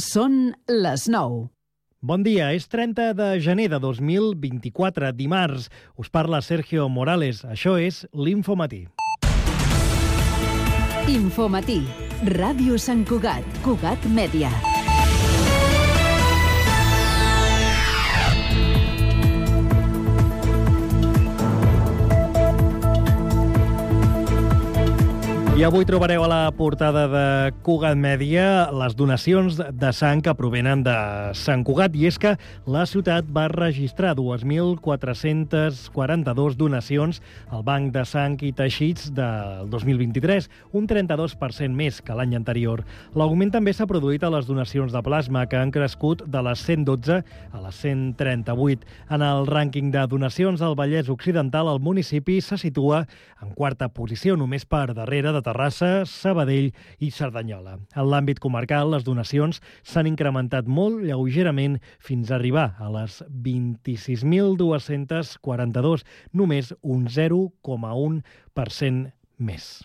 Són les 9. Bon dia, és 30 de gener de 2024, dimarts. Us parla Sergio Morales. Això és l'Infomatí. Infomatí. Ràdio Sant Cugat. Cugat Mèdia. I avui trobareu a la portada de Cugat Mèdia les donacions de sang que provenen de Sant Cugat. I és que la ciutat va registrar 2.442 donacions al Banc de Sang i Teixits del 2023, un 32% més que l'any anterior. L'augment també s'ha produït a les donacions de plasma, que han crescut de les 112 a les 138. En el rànquing de donacions al Vallès Occidental, el municipi se situa en quarta posició, només per darrere de Terrassa, Sabadell i Cerdanyola. En l'àmbit comarcal, les donacions s'han incrementat molt lleugerament fins a arribar a les 26.242, només un 0,1% més.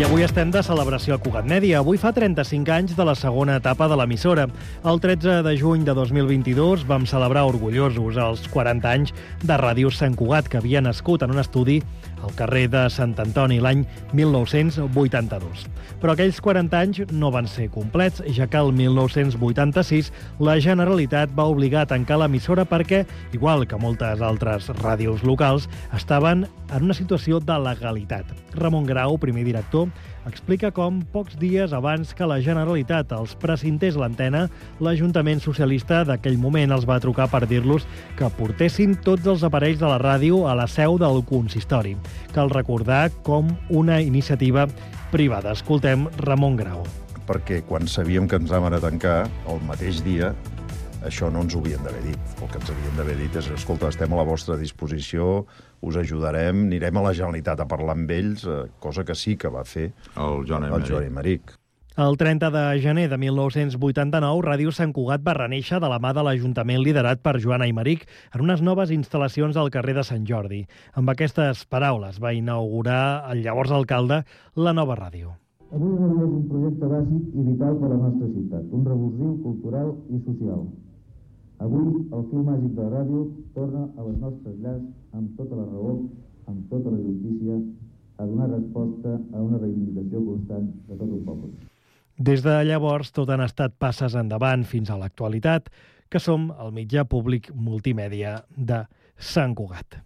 I avui estem de celebració a Cugat Mèdia. Avui fa 35 anys de la segona etapa de l'emissora. El 13 de juny de 2022 vam celebrar orgullosos els 40 anys de Ràdio Sant Cugat, que havia nascut en un estudi al carrer de Sant Antoni l'any 1982. Però aquells 40 anys no van ser complets, ja que el 1986 la Generalitat va obligar a tancar l'emissora perquè, igual que moltes altres ràdios locals, estaven en una situació de legalitat. Ramon Grau, primer director, explica com, pocs dies abans que la Generalitat els precintés l'antena, l'Ajuntament Socialista d'aquell moment els va trucar per dir-los que portessin tots els aparells de la ràdio a la seu del consistori. Cal recordar com una iniciativa privada. Escoltem Ramon Grau. Perquè quan sabíem que ens vam anar a tancar, el mateix dia, això no ens ho havien d'haver dit. El que ens havien d'haver dit és, escolta, estem a la vostra disposició, us ajudarem, anirem a la Generalitat a parlar amb ells, cosa que sí que va fer el Joan Aymeric. El 30 de gener de 1989, Ràdio Sant Cugat va reneixer de la mà de l'Ajuntament liderat per Joan Aymeric en unes noves instal·lacions al carrer de Sant Jordi. Amb aquestes paraules va inaugurar el llavors alcalde la nova ràdio. Avui és un projecte bàsic i vital per a la nostra ciutat, un revulsiu cultural i social. Avui, el fil màgic de la ràdio torna a les nostres llars amb tota la raó, amb tota la justícia, a donar resposta a una reivindicació constant de tot un poble. Des de llavors, tot han estat passes endavant fins a l'actualitat, que som el mitjà públic multimèdia de Sant Cugat.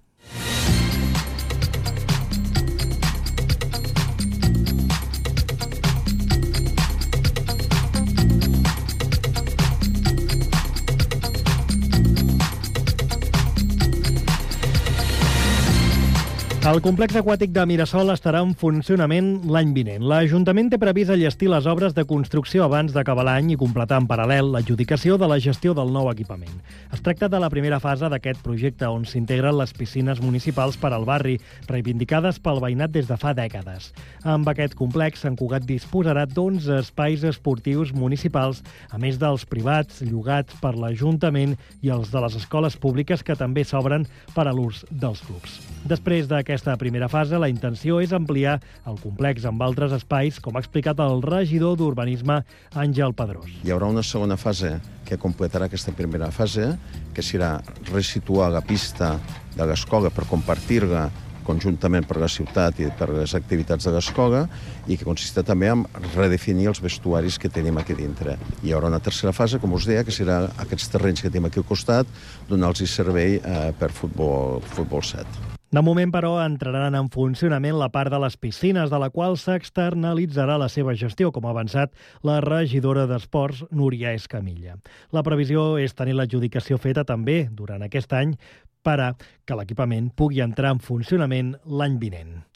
El complex aquàtic de Mirasol estarà en funcionament l'any vinent. L'Ajuntament té previst enllestir les obres de construcció abans d'acabar l'any i completar en paral·lel l'adjudicació de la gestió del nou equipament. Es tracta de la primera fase d'aquest projecte, on s'integren les piscines municipals per al barri, reivindicades pel veïnat des de fa dècades. Amb aquest complex, Sant Cugat disposarà d'11 espais esportius municipals, a més dels privats llogats per l'Ajuntament i els de les escoles públiques, que també s'obren per a l'ús dels clubs. Després d'aquesta primera fase, la intenció és ampliar el complex amb altres espais, com ha explicat el regidor d'Urbanisme, Àngel Pedrós. Hi haurà una segona fase que completarà aquesta primera fase, que serà resituar la pista de l'escola per compartir-la conjuntament per la ciutat i per les activitats de l'escola, i que consistirà també en redefinir els vestuaris que tenim aquí dintre. Hi haurà una tercera fase, com us deia, que serà aquests terrenys que tenim aquí al costat, donar-los servei per futbol 7. De moment, però, entraran en funcionament la part de les piscines, de la qual s'externalitzarà la seva gestió, com ha avançat la regidora d'Esports, Núria Escamilla. La previsió és tenir l'adjudicació feta també durant aquest any per a que l'equipament pugui entrar en funcionament l'any vinent.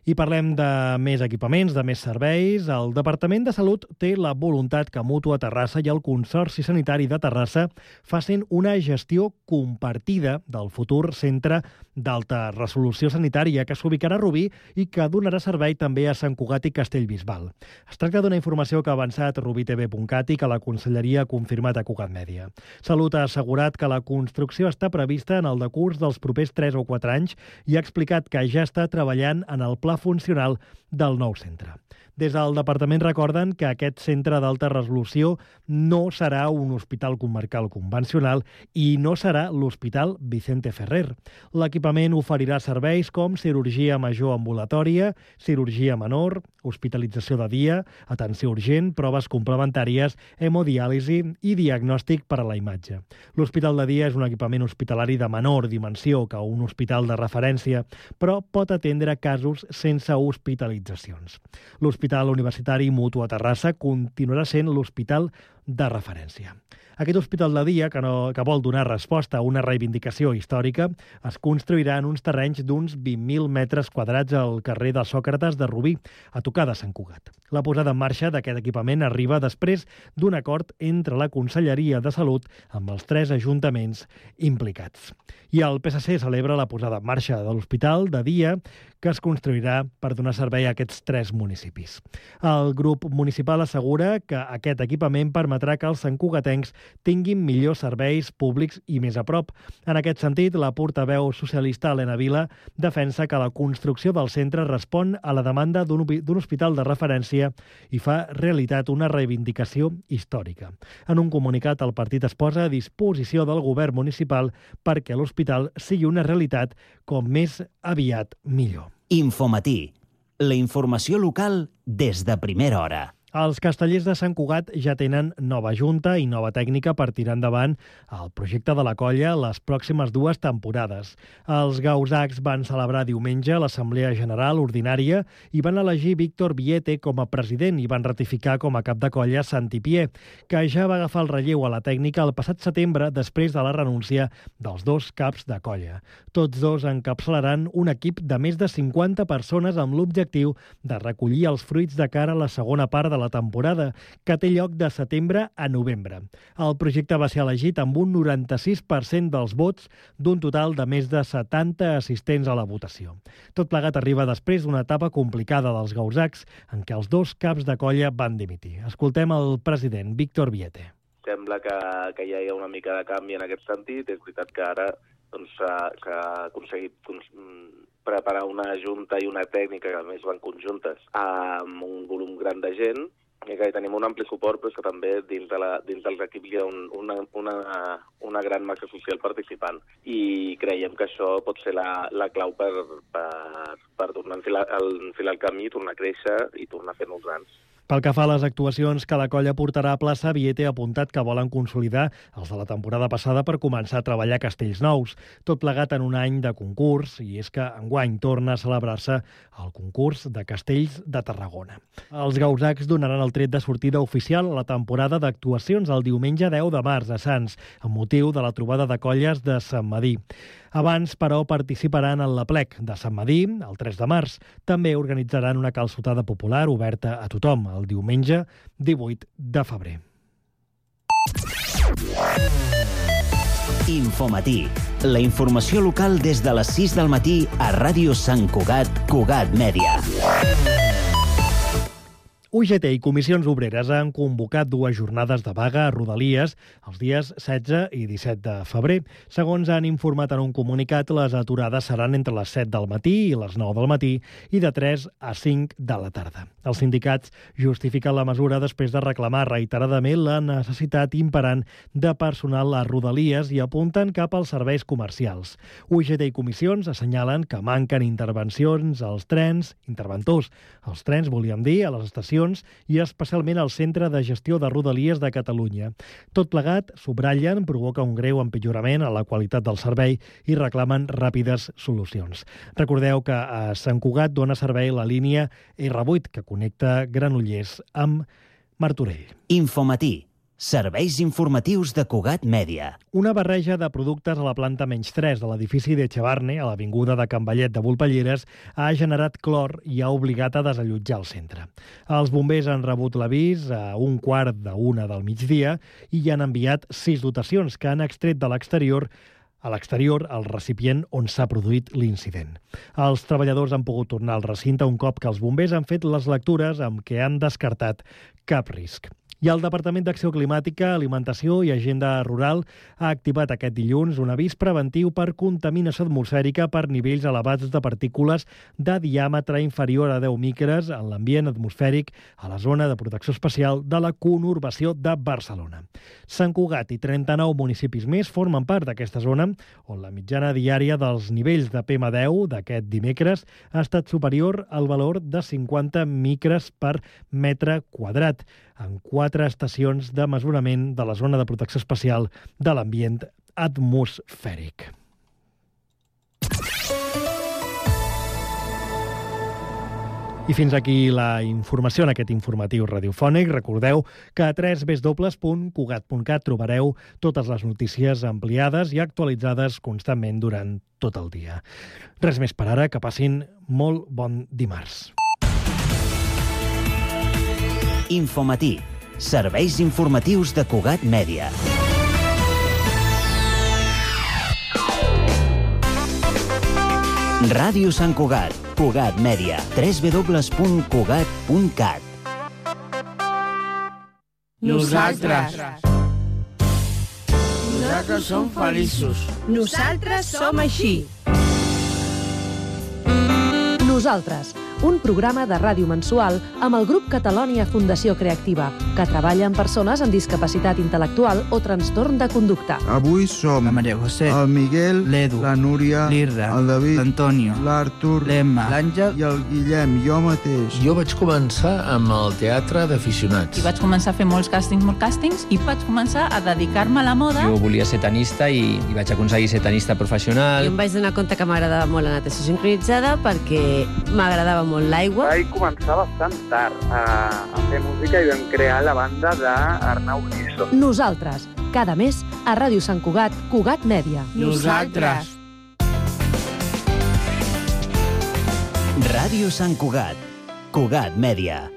I parlem de més equipaments, de més serveis. El Departament de Salut té la voluntat que Mútua Terrassa i el Consorci Sanitari de Terrassa facin una gestió compartida del futur centre d'alta resolució sanitària que s'ubicarà a Rubí i que donarà servei també a Sant Cugat i Castellbisbal. Es tracta d'una informació que ha avançat rubitv.cat i que la Conselleria ha confirmat a Cugat Mèdia. Salut ha assegurat que la construcció està prevista en el decurs dels propers 3 o 4 anys i ha explicat que ja està treballant en el pla funcional del nou centre. Des del departament recorden que aquest centre d'alta resolució no serà un hospital comarcal convencional i no serà l'Hospital Vicente Ferrer. L'equipament oferirà serveis com cirurgia major ambulatòria, cirurgia menor, hospitalització de dia, atenció urgent, proves complementàries, hemodiàlisi i diagnòstic per a la imatge. L'hospital de dia és un equipament hospitalari de menor dimensió que un hospital de referència, però pot atendre casos sense hospitalitzacions. L'Hospital Universitari Mútua Terrassa continuarà sent l'hospital de referència. Aquest hospital de dia, que vol donar resposta a una reivindicació històrica, es construirà en uns terrenys d'uns 20.000 metres quadrats al carrer de Sòcrates de Rubí, a tocar de Sant Cugat. La posada en marxa d'aquest equipament arriba després d'un acord entre la Conselleria de Salut amb els 3 ajuntaments implicats. I el PSC celebra la posada en marxa de l'hospital de dia que es construirà per donar servei a aquests 3 municipis. El grup municipal assegura que aquest equipament permetrà que els santcugatencs tinguin millors serveis públics i més a prop. En aquest sentit, la portaveu socialista Helena Vila defensa que la construcció del centre respon a la demanda d'un hospital de referència i fa realitat una reivindicació històrica. En un comunicat, el partit es posa a disposició del govern municipal perquè l'hospital sigui una realitat com més aviat millor. Infomatí, la informació local des de primera hora. Els castellers de Sant Cugat ja tenen nova junta i nova tècnica per tirar endavant el projecte de la colla les pròximes 2 temporades. Els gausacs van celebrar diumenge l'Assemblea General Ordinària i van elegir Víctor Viete com a president i van ratificar com a cap de colla Santi Pié, que ja va agafar el relleu a la tècnica el passat setembre després de la renúncia dels 2 caps de colla. Tots 2 encapçalaran un equip de més de 50 persones amb l'objectiu de recollir els fruits de cara a la segona part de la temporada, que té lloc de setembre a novembre. El projecte va ser elegit amb un 96% dels vots d'un total de més de 70 assistents a la votació. Tot plegat arriba després d'una etapa complicada dels gausacs, en què els 2 caps de colla van dimitir. Escoltem el president, Víctor Viete. Sembla que ja hi ha una mica de canvi en aquest sentit. És veritat que ara s'ha aconseguit preparar una junta i una tècnica, que a més van conjuntes, amb un volum gran de gent, i que hi tenim un ampli suport, però que també dins dels equips hi ha una gran massa social participant. I creiem que això pot ser la clau per tornar a enfilar el camí, tornar a créixer i tornar a fer-nos grans. Pel que fa a les actuacions que la colla portarà a plaça, Viete ha apuntat que volen consolidar els de la temporada passada per començar a treballar a Castells Nous, tot plegat en un any de concurs, i és que enguany torna a celebrar-se el concurs de Castells de Tarragona. Els gausacs donaran el tret de sortida oficial a la temporada d'actuacions el diumenge 10 de març a Sants, amb motiu de la trobada de colles de Sant Madí. Abans, però, participaran en l'Aplec de Sant Madí, el 3 de març. També organitzaran una calçotada popular oberta a tothom, el diumenge 18 de febrer. Infomatí, la informació local des de les 6 del matí a Ràdio Sant Cugat, Cugat Mèdia. UGT i Comissions Obreres han convocat 2 jornades de vaga a Rodalies els dies 16 i 17 de febrer. Segons han informat en un comunicat, les aturades seran entre les 7 del matí i les 9 del matí i de 3 a 5 de la tarda. Els sindicats justifiquen la mesura després de reclamar reiteradament la necessitat imperant de personal a Rodalies i apunten cap als serveis comercials. UGT i Comissions assenyalen que manquen intervencions als trens, interventors. Els trens, volíem dir, a les estacions i especialment al Centre de Gestió de Rodalies de Catalunya. Tot plegat, subratllen, provoca un greu empitjorament a la qualitat del servei i reclamen ràpides solucions. Recordeu que a Sant Cugat dona servei la línia R8, que connecta Granollers amb Martorell. Infomatí, Serveis informatius de Cugat Mèdia. Una barreja de productes a la planta menys 3 de l'edifici d'Echevarne, a l'avinguda de Can Vallet de Volpelleres, ha generat clor i ha obligat a desallotjar el centre. Els bombers han rebut l'avís a 1:45 del migdia i hi han enviat 6 dotacions que han extret de l'exterior el recipient on s'ha produït l'incident. Els treballadors han pogut tornar al recinte un cop que els bombers han fet les lectures amb què han descartat cap risc. I el Departament d'Acció Climàtica, Alimentació i Agenda Rural ha activat aquest dilluns un avís preventiu per contaminació atmosfèrica per nivells elevats de partícules de diàmetre inferior a 10 micres en l'ambient atmosfèric a la zona de protecció especial de la conurbació de Barcelona. Sant Cugat i 39 municipis més formen part d'aquesta zona, on la mitjana diària dels nivells de PM10 d'aquest dimecres ha estat superior al valor de 50 micres per metre quadrat, en 4 estacions de mesurament de la zona de protecció especial de l'ambient atmosfèric. I fins aquí la informació en aquest informatiu radiofònic. Recordeu que a www.cugat.cat trobareu totes les notícies ampliades i actualitzades constantment durant tot el dia. Res més per ara, que passin molt bon dimarts. Infomatí. Serveis informatius de Cugat Mèdia. Ràdio Sant Cugat. Cugat Mèdia. www.cugat.cat. Nosaltres som feliços. Nosaltres som així. Nosaltres, un programa de ràdio mensual amb el grup Catalònia Fundació Creativa, que treballa amb persones amb discapacitat intel·lectual o trastorn de conducta. Avui som La Maria José, el Miguel, l'Edu, la Núria, l'Irra, el David, l'Antonio, l'Artur, l'Emma, l'Àngel i el Guillem, jo mateix. Jo vaig començar amb el teatre d'aficionats. I vaig començar a fer molts càstings, i vaig començar a dedicar-me a la moda. Jo volia ser tenista i vaig aconseguir ser tenista professional. Jo em vaig donar compte que m'agradava molt la natació sincronitzada perquè m'agradava molt l'aigua. Vaig començar bastant tard a fer música i vam crear la banda d'Arnau Griso. Nosaltres, cada mes a Ràdio Sant Cugat, Cugat Mèdia. Nosaltres. Ràdio Sant Cugat, Cugat Mèdia.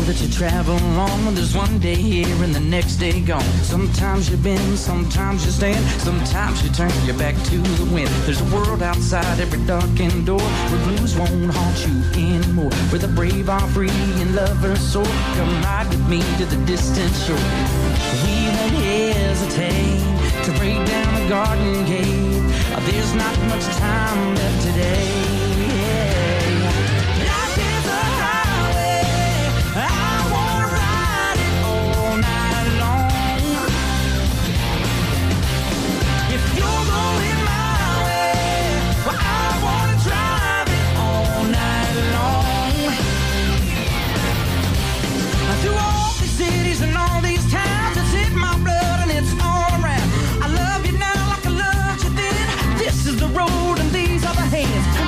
That you travel on, there's one day here and the next day gone. Sometimes you bend, sometimes you stand, sometimes you turn your back to the wind. There's a world outside every darkened door where blues won't haunt you anymore, where the brave are free and lovers soar. Come ride with me to the distant shore. We won't hesitate to break down the garden gate. There's not much time left today. Road and these are the hands.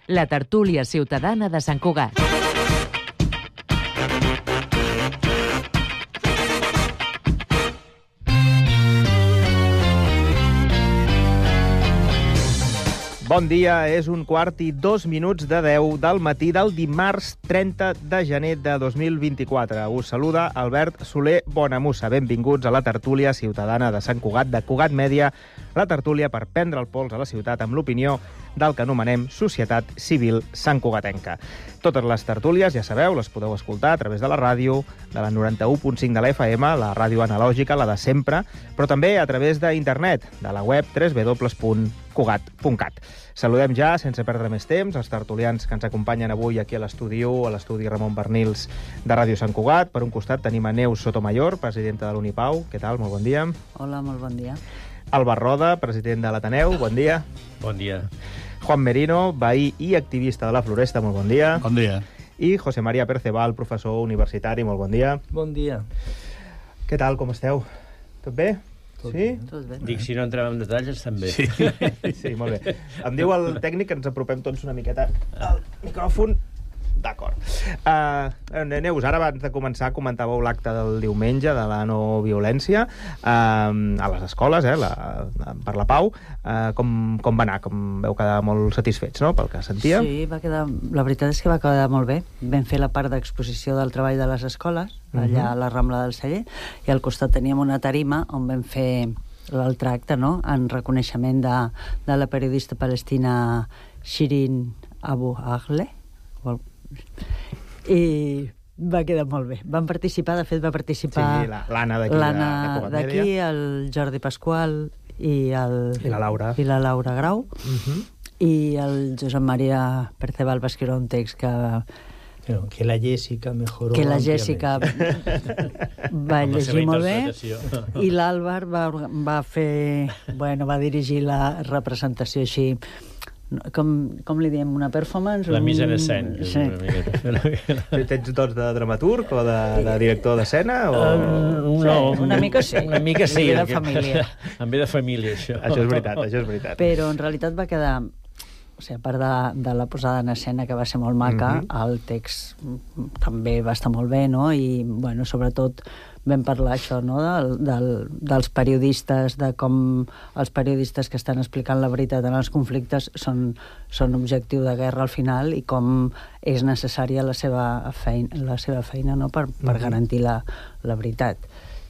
la tertúlia ciutadana de Sant Cugat. Bon dia, és 1:02 de 10 del matí del dimarts 30 de gener de 2024. Us saluda Albert Soler Bonamussa. Benvinguts a la tertúlia ciutadana de Sant Cugat, de Cugat Mèdia, la tertúlia per prendre el pols a la ciutat amb l'opinió del que anomenem Societat Civil Santcugatenca. Totes les tertúlies, ja sabeu, les podeu escoltar a través de la ràdio, de la 91.5 de la FM, la ràdio analògica, la de sempre, però també a través d'internet, de la web www.cugat.cat. Saludem ja, sense perdre més temps, els tertulians que ens acompanyen avui aquí a l'estudi Ramon Bernils de Ràdio Sant Cugat. Per un costat tenim a Neus Sotomayor, presidenta de l'Unipau. Què tal? Molt bon dia. Hola, molt bon dia. Albert Roda, president de l'Ateneu. Bon dia. Bon dia. Juan Merino, veí i activista de la Floresta. Molt bon dia. Bon dia. I José María Perceval, professor universitari. Molt bon dia. Bon dia. Què tal? Com esteu? Tot bé? Sí? Tot bé. Dic, si no entrem en detalls, estan bé. Sí, molt bé. Em diu el tècnic que ens apropem tots una miqueta al micròfon. D'acord. Neus, ara abans de començar comentàveu l'acte del diumenge de la no violència a les escoles, per la pau. Com va anar? Com veu quedar molt satisfets, no?, pel que sentia? Sí, la veritat és que va quedar molt bé. Vam fer la part d'exposició del treball de les escoles, allà a la Rambla del Celler, i al costat teníem una tarima on vam fer l'altre acte, no?, en reconeixement de la periodista palestina Shirin Abu Akleh, i va quedar molt bé. Van participar, de fet va participar l'Anna d'aquí, el Jordi Pasqual i la Laura Grau, i el Josep Maria Perceval va escriure un text que la Jessica mejoró. Que la Jessica va llegir molt bé, i l'Àlvar va dirigir la representació així. Com li diem, una performance? La mise en escena. Sí. Tens dots de dramaturg o de director d'escena? No, una mica sí. Una mica sí. Em ve de família. Em ve de família, això. Això és veritat. Però en realitat va quedar... O sigui, a part de la posada en escena, que va ser molt maca, el text també va estar molt bé, no? I, bueno, sobretot vam parlar això, no?, dels periodistes, de com els periodistes que estan explicant la veritat en els conflictes són objectiu de guerra al final, i com és necessària la seva feina, no?, per garantir la veritat.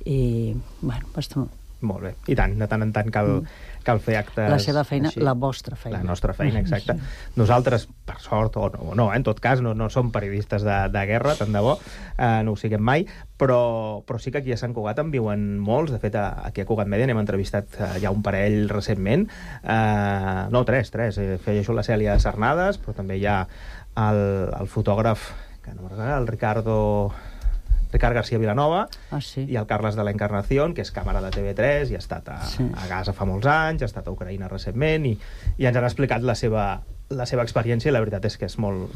I, bueno, va estar molt bé. I tant, de tant en tant cal fer actes... La seva feina, així. La vostra feina. La nostra feina, exacte. Nosaltres, per sort, o no, en tot cas, no som periodistes de guerra, tant de bo, no ho siguem mai, però sí que aquí a Sant Cugat en viuen molts. De fet, aquí a Cugat Mèdia n'hem entrevistat ja un parell recentment. No, tres. Feia això la Cèlia Sarnades, però també hi ha el fotògraf, que no m'agrada, el Ricard García Vilanova, i el Carles de la Encarnación, que és càmera de TV3 i ha estat a Gaza fa molts anys, ha estat a Ucraïna recentment, i ens han explicat la seva experiència, i la veritat és que és molt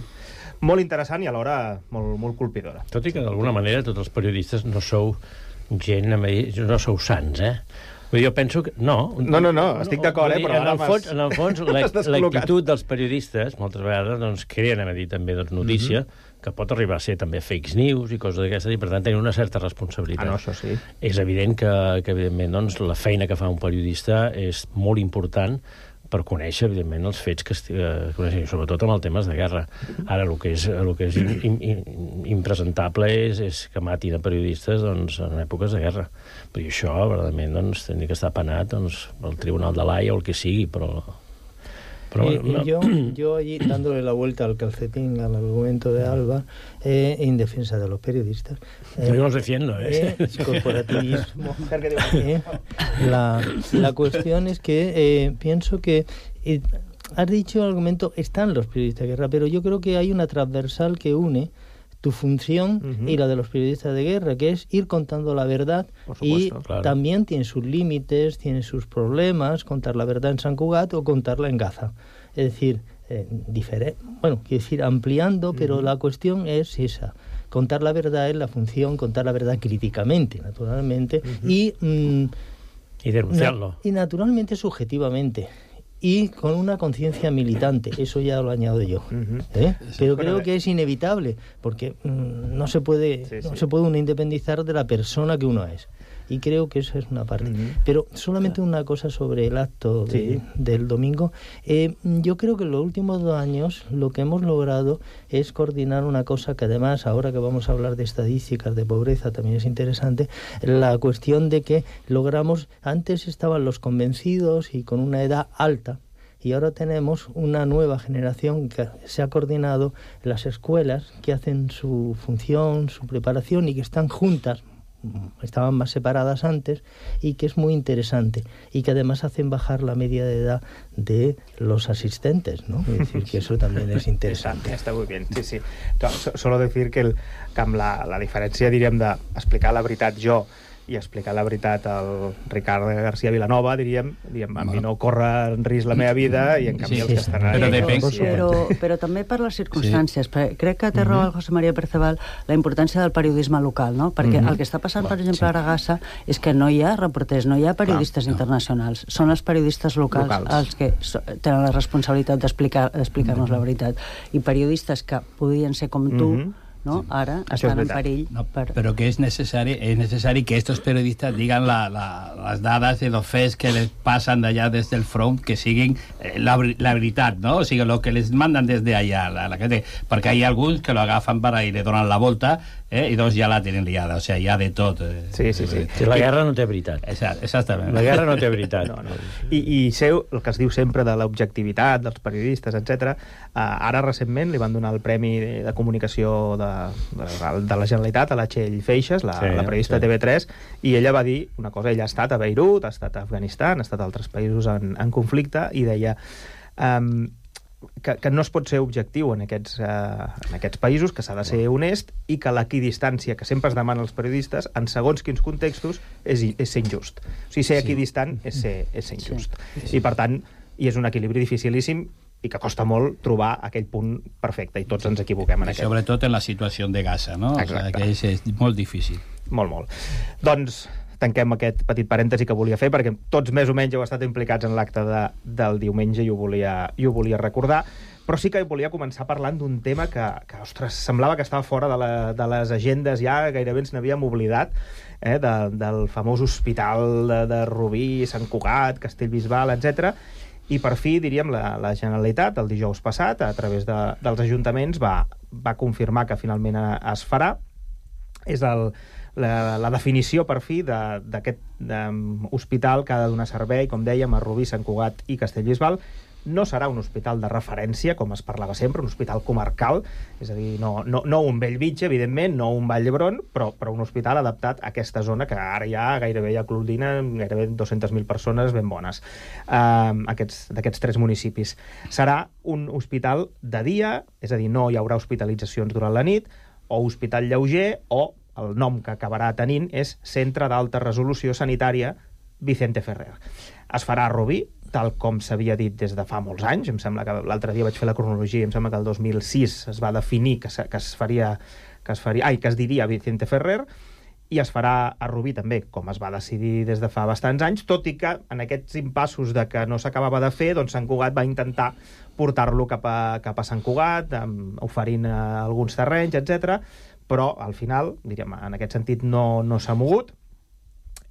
interessant i alhora molt colpidora. Tot i que d'alguna manera tots els periodistes no sou gent, no sou sants, Jo penso que... No, estic d'acord, però en el fons l'actitud dels periodistes moltes vegades doncs creen també notícia, que pot arribar a ser també fake news i coses d'aquestes, i per tant tenen una certa responsabilitat. No, això sí. És evident que evidentment, doncs, la feina que fa un periodista és molt important per conèixer, evidentment, els fets que coneixen, sobretot amb els temes de guerra. Ara, el que és impresentable és que matin a periodistes en èpoques de guerra. Però això, verdaderament, doncs, tindria que estar penat pel Tribunal de l'Haia o el que sigui, però yo allí, dándole la vuelta al calcetín al argumento de Alba, en defensa de los periodistas. Yo los defiendo, corporativismo. La cuestión es que pienso que has dicho el argumento, están los periodistas de guerra, pero yo creo que hay una transversal que une tu función y la de los periodistas de guerra, que es ir contando la verdad, y también tiene sus límites, tiene sus problemas, contar la verdad en Sant Cugat o contarla en Gaza. Es decir, ampliando, pero la cuestión es esa. Contar la verdad es la función, contar la verdad críticamente, naturalmente, y denunciarlo. Y naturalmente subjetivamente. y con una conciencia militante. Eso ya lo añado yo. Pero creo que es inevitable, porque no se puede uno independizar de la persona que uno es. Y creo que eso es una parte. Pero solamente una cosa sobre el acto del domingo. Yo creo que en los últimos 2 años lo que hemos logrado es coordinar una cosa que además, ahora que vamos a hablar de estadísticas de pobreza, también es interesante, la cuestión de que logramos, antes estaban los convencidos y con una edad alta, y ahora tenemos una nueva generación que se ha coordinado en las escuelas, que hacen su función, su preparación y que están juntas, estaban más separadas antes, y que es muy interesante y que además hacen bajar la media de edad de los asistentes, ¿no? Es decir, que eso también es interesante. Está muy bien, sí. Solo decir que amb la diferència, diríem, d'explicar la veritat jo i explicar la veritat al Ricard García Vilanova, diríem, a mi no corre en risc la meva vida i en canvi els que estan però també per les circumstàncies. Crec que té raó el José María Perceval la importància del periodisme local, no? Perquè el que està passant, per exemple, a Aragassa és que no hi ha reporters, no hi ha periodistes internacionals, són els periodistes locals els que tenen la responsabilitat d'explicar-nos la veritat, i periodistes que podien ser com tu, ¿no? Ahora están en perill. No, pero que es necesario que estos periodistas digan las dadas de los fets que les pasan de allá desde el front, que siguen la veritat, ¿no? O sigui, lo que les mandan desde allá, la gente, perquè hay alguns que lo agafan para y le donen la volta, i doncs ja la tenen liada, o sigui, hi ha de tot. Sí. La guerra no té veritat. Exactament. La guerra no té veritat. I seu, el que es diu sempre de l'objectivitat dels periodistes, etc. Ara recentment li van donar el Premi de Comunicació de la Generalitat a la Txell Feixes, la periodista de TV3, i ella va dir una cosa. Ella ha estat a Beirut, ha estat a Afganistan, ha estat a altres països en conflicte, i deia que no es pot ser objectiu en aquests països, que s'ha de ser honest, i que l'equidistància que sempre es demana als periodistes en segons quins contextos és ser injust. O sigui, ser equidistant és ser injust. I per tant, és un equilibri dificilíssim i que costa molt trobar aquell punt perfecte, i tots ens equivoquem en aquest. Sobretot en la situació de Gaza, no? Exacte. Que és molt difícil. Molt. Doncs tanquem aquest petit parèntesi que volia fer, perquè tots més o menys heu estat implicats en l'acte del diumenge i ho volia recordar, però sí que volia començar parlant d'un tema que ostres, semblava que estava fora de les agendes, ja gairebé ens n'havíem oblidat, del famós hospital de Rubí, Sant Cugat, Castellbisbal, etc. I per fi, diríem, la Generalitat, el dijous passat, a través dels ajuntaments, va confirmar que finalment es farà. És la definició, per fi, d'aquest hospital que ha de donar servei, com dèiem, a Rubí, Sant Cugat i Castellbisbal. No serà un hospital de referència, com es parlava sempre, un hospital comarcal, és a dir, no un Bellvitge, evidentment, no un Vall d'Hebron, però un hospital adaptat a aquesta zona que ara ja gairebé aglutina gairebé 200.000 persones ben bones, d'aquests 3 municipis. Serà un hospital de dia, és a dir, no hi haurà hospitalitzacions durant la nit, o hospital lleuger, o el nom que acabarà tenint és Centre d'Alta Resolució Sanitària Vicente Ferrer. Es farà a Rubí, tal com s'havia dit des de fa molts anys. Em sembla que l'altre dia vaig fer la cronologia, em sembla que el 2006 es va definir que es diria Vicente Ferrer, i es farà a Rubí també, com es va decidir des de fa bastants anys, tot i que en aquests impassos de que no s'acabava de fer, doncs Sant Cugat va intentar portar-lo cap a Sant Cugat, oferint alguns terrenys, etc. Però al final, diríem, en aquest sentit no s'ha mogut,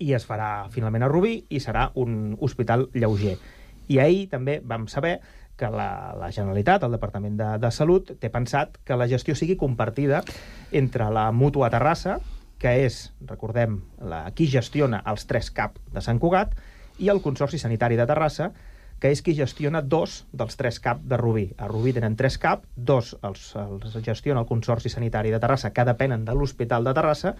i es farà finalment a Rubí, i serà un hospital lleuger. I ahir també vam saber que la Generalitat, el Departament de Salut, té pensat que la gestió sigui compartida entre la Mútua Terrassa, que és, recordem, qui gestiona els 3 CAP de Sant Cugat, i el Consorci Sanitari de Terrassa, que és qui gestiona 2 dels 3 CAP de Rubí. A Rubí tenen 3 CAP, 2 els gestiona el Consorci Sanitari de Terrassa, que depenen de l'Hospital de Terrassa.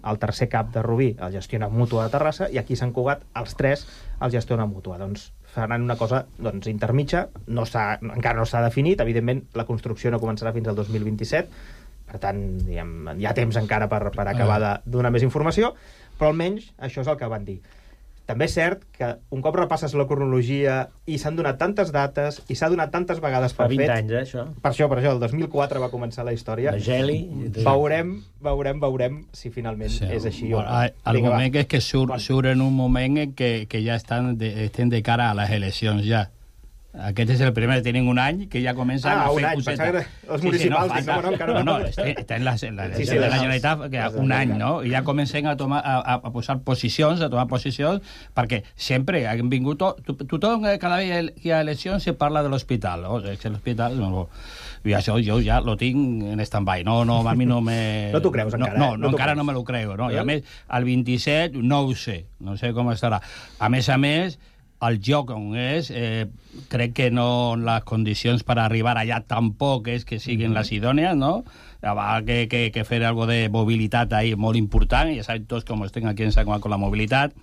El tercer CAP de Rubí el gestiona Mútua de Terrassa, i aquí a Sant Cugat els 3 els gestiona Mútua. Doncs faran una cosa intermitja, encara no s'ha definit, evidentment la construcció no començarà fins al 2027, per tant hi ha temps encara per acabar de donar més informació, però almenys això és el que van dir. També és cert que un cop repasses la cronologia i s'han donat tantes dates i s'ha donat tantes vegades per fet... Fa 20 anys, això. Per això, el 2004 va començar la història. La geli... Veurem si finalment és així o no. El moment és que surt en un moment en que ja estem de cara a les eleccions ja. Aquest és el primer, tenen un any que ja comencen a fer coseta. Els municipals, encara no. Està en la Generalitat que un any, no? I ja comencen a posar posicions, a tomar posicions, perquè sempre han vingut... Tothom, cada vegada que hi ha eleccions, se parla de l'hospital. L'hospital... I això jo ja lo tinc en stand-by. No, a mi no me... No t'ho creus encara? No, encara no me lo creo. No? I a més, el 27 no ho sé. No sé com estarà. A més, el lloc on és, crec que no les condicions per arribar allà tampoc és que siguin les idònies, no? Va que fer algo de mobilitat ahí molt important, ja sabem tots com estem aquí en Sant Cugat con la mobilitat,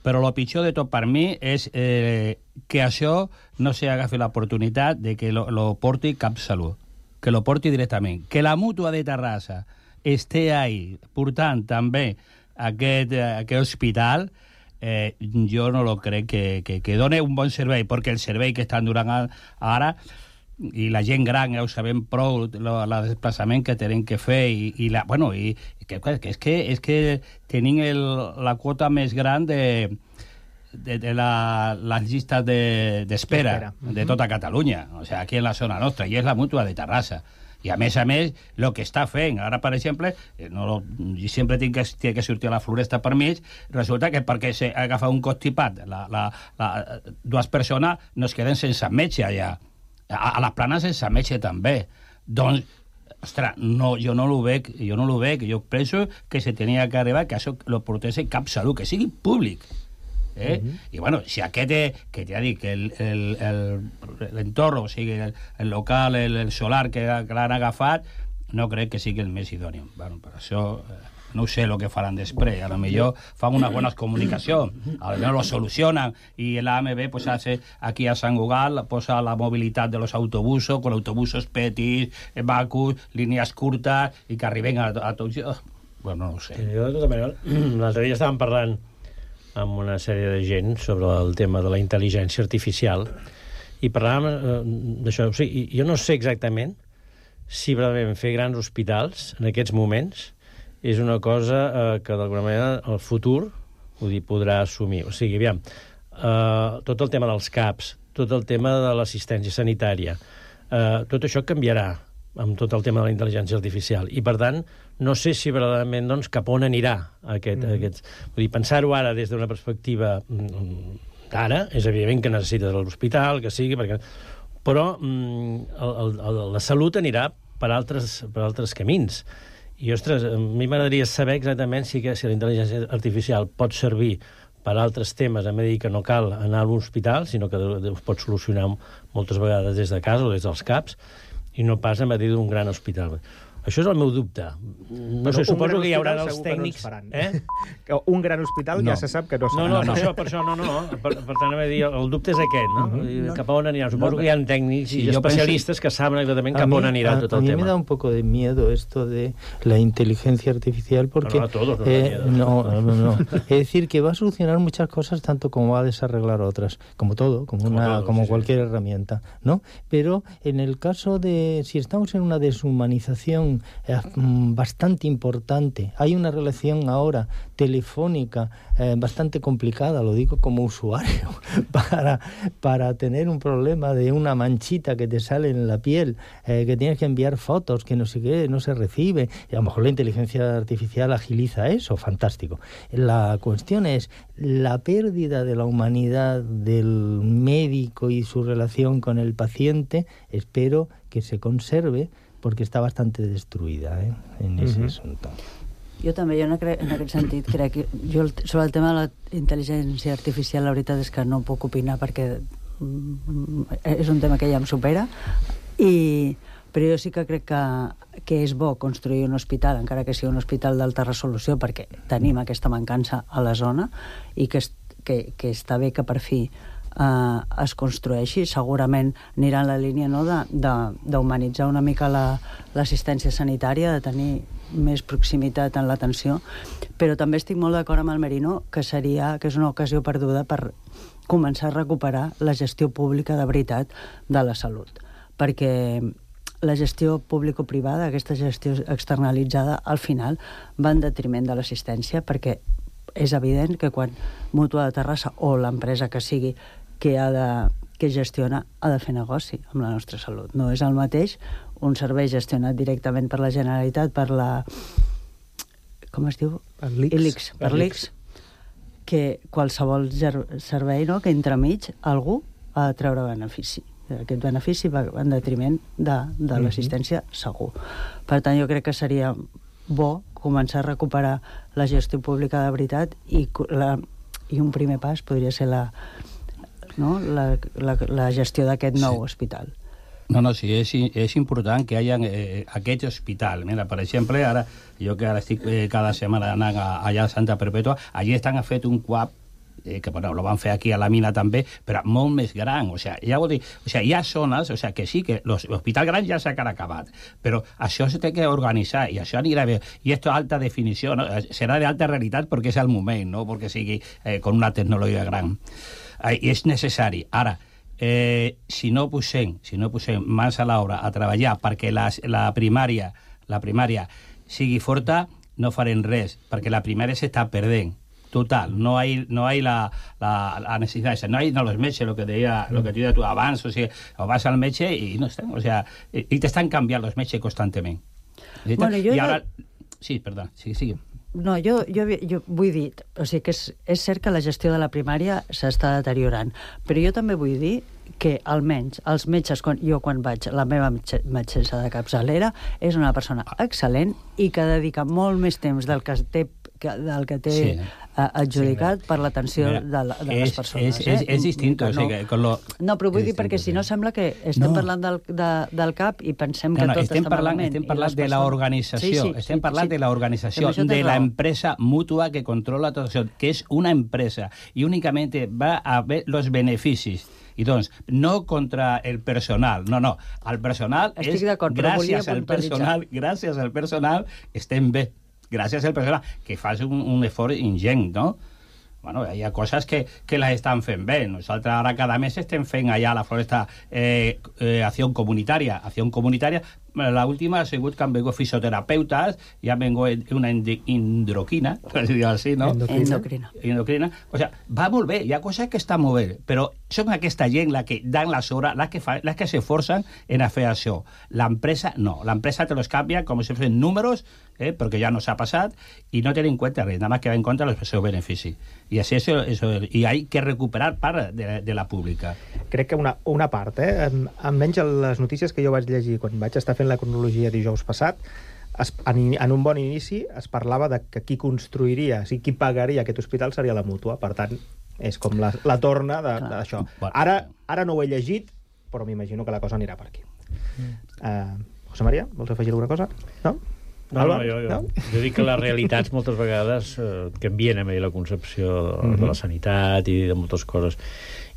però el pitjor de tot per mi és que això no s'agafi l'oportunitat de que lo porti CapSalut, que lo porti directament, que la Mútua de Terrassa esté ahí portant també aquest hospital. Jo no lo crec que doni un bon servei, perquè el servei que estan donant ara, i la gent gran ja ho sabem prou, el desplaçament que tenen que fer, és que tenim la quota més gran de les llistes d'espera de tota Catalunya, o sigui, aquí en la zona nostra, i és la Mútua de Terrassa. I a més, el que està fent, ara, per exemple, jo sempre tinc que sortir a la Floresta per mig, resulta que perquè s'agafa un constipat, dues persones no es queden sense metge allà. A les Planes sense metge també. Doncs, ostres, jo no ho veig, jo penso que se tenia que arribar que això lo portés CapSalut, que sigui públic. I bueno, si aquest que ja dic, l'entorn, o sigui, el local, el solar que l'han agafat, no crec que sigui el més idòneo. Bueno, per això no sé el que faran després. A lo millor fan unes bones comunicacions, a lo millor lo solucionan i l'AMB pues, hace aquí a Sant Cugat posa la mobilitat de los autobusos, con autobusos petits, vacus, línies curtes i que arriben a tots. Bueno, no ho sé. Jo, de tota manera, l'altre dia estàvem parlant amb una sèrie de gent sobre el tema de la intel·ligència artificial i parlàvem d'això. O sigui, jo no sé exactament si realment fer grans hospitals en aquests moments és una cosa que d'alguna manera el futur podrà assumir. O sigui, aviam, tot el tema dels CAPs, tot el tema de l'assistència sanitària, tot això canviarà amb tot el tema de la intel·ligència artificial. I, per tant, no sé si verdaderament doncs, cap on anirà aquest. Vull dir, pensar-ho ara des d'una perspectiva d'ara, és evident que necessites l'hospital, que sigui, perquè... però la salut anirà per altres camins. I, ostres, a mi m'agradaria saber exactament si la intel·ligència artificial pot servir per altres temes, a dir que no cal anar a l'hospital, sinó que ho pot solucionar moltes vegades des de casa o des dels CAPs, i no pas a dir d'un gran hospital. Això és el meu dubte. No sé, suposo que hi haurà els tècnics... Un gran hospital ja se sap que no serà. No, per això no. Per tant, el dubte és aquest, no? Cap a on anirà. Suposo que hi ha tècnics i especialistes que saben exactament cap a on anirà tot el tema. A mí me da un poco de miedo esto de la inteligencia artificial porque... No, a todos nos da miedo. No. Es decir, que va a solucionar muchas cosas tanto como va a desarreglar otras. Como todo, como cualquier herramienta, ¿no? Pero en el caso de... Si estamos en una deshumanización bastante importante. Hay una relación ahora telefónica bastante complicada, lo digo como usuario, para tener un problema de una manchita que te sale en la piel, que tienes que enviar fotos, que no sé qué, no se recibe. Y a lo mejor la inteligencia artificial agiliza eso, fantástico. La cuestión es la pérdida de la humanidad del médico y su relación con el paciente. Espero que se conserve perquè està bastant destruïda en aquest assumpte. Jo també, en aquest sentit, crec que sobre el tema de la intel·ligència artificial, la veritat és que no puc opinar perquè és un tema que ja em supera, però jo sí que crec que és bo construir un hospital, encara que sigui un hospital d'alta resolució, perquè tenim aquesta mancança a la zona i que està bé que per fi es construeixi. Segurament anirà en la línia d'humanitzar una mica l'assistència sanitària, de tenir més proximitat en l'atenció, però també estic molt d'acord amb el Merino que és una ocasió perduda per començar a recuperar la gestió pública de veritat de la salut, perquè la gestió público-privada, aquesta gestió externalitzada, al final va en detriment de l'assistència, perquè és evident que quan Mútua de Terrassa o l'empresa que sigui que ha que gestiona ha de fer negoci amb la nostra salut. No és el mateix un servei gestionat directament per la Generalitat, per la... com es diu? Per l'ICS. Que qualsevol servei, no?, que entremig algú ha de treure benefici. Aquest benefici va en detriment de l'assistència segur. Per tant, jo crec que seria bo començar a recuperar la gestió pública de veritat i un primer pas podria ser la gestió d'aquest nou hospital. No, sí, és important que hi hagi aquest hospital. Mira, per exemple, ara, jo que ara estic cada setmana anant allà a Santa Perpètua, allí estan fet un CUAP que bueno, lo van fer aquí a la mina també, però molt més gran. O sigui, ja vol dir, o sigui, hi ha zones, o sigui, que sí, que l'hospital gran ja s'ha acabat, però això se té que organitzar i això anirà bé. I esto alta definició, ¿no? Serà d'alta realitat perquè és el moment, no perquè sigui con una tecnologia gran. I és necessari. Ara, si no posem mans a l'obra a treballar perquè la primària sigui forta, no farem res, perquè la primària s'està perdent. Total, no hay la necesidad, no hay los metges, lo que tú dices abans, o sigui, o vas al metge i no estem, o sea, i t'estan canviant los metges constantment. Bueno, I ara... Sí, perdó, sigue. No, jo vull dir, o sigui que és cert que la gestió de la primària s'està deteriorant, però jo també vull dir que almenys els metges, quan vaig, la meva metgessa de capçalera és una persona excel·lent i que dedica molt més temps del que té adjudicat per l'atenció de les persones. És distint. No, però vull dir, perquè si no sembla que estem parlant del CAP i pensem que tot està malament. Estem parlant de l'organització, estem parlant de l'organització, de l'empresa mútua que controla tot això, que és una empresa i únicament va a ver los beneficis. I doncs, no contra el personal, no. El personal és gràcies al personal estem bé. Gràcies al personal, que fas un esforç ingent, no? Bueno, hi ha coses que les estan fent bé. Nosaltres ara cada mes estem fent allà a la Floresta acció comunitària. La última ha sigut que han vingut fisioterapeutes i han vingut una endroquina, per dir-ho així, no? Endocrina. O sigui, va molt bé, hi ha coses que estan molt bé, però són aquesta gent la que dan les hores, les que s'esforcen en fer això. L'empresa no. L'empresa te los canvia com si fossin números, perquè ja no s'ha passat, i no tenen en compte res, nada más que va en compte els seus beneficis. I així i hay que recuperar part de la pública. Crec que una part, almenys les notícies que jo vaig llegir quan vaig estar fent la cronologia dijous passat, en un bon inici es parlava de que qui construiria, o sigui, qui pagaria aquest hospital seria la mútua. Per tant, és com la torna d'això. Ara no ho he llegit, però m'imagino que la cosa anirà per aquí. José María, vols afegir alguna cosa? No? No, jo dic que les realitats moltes vegades canvien a la concepció de la sanitat i de moltes coses.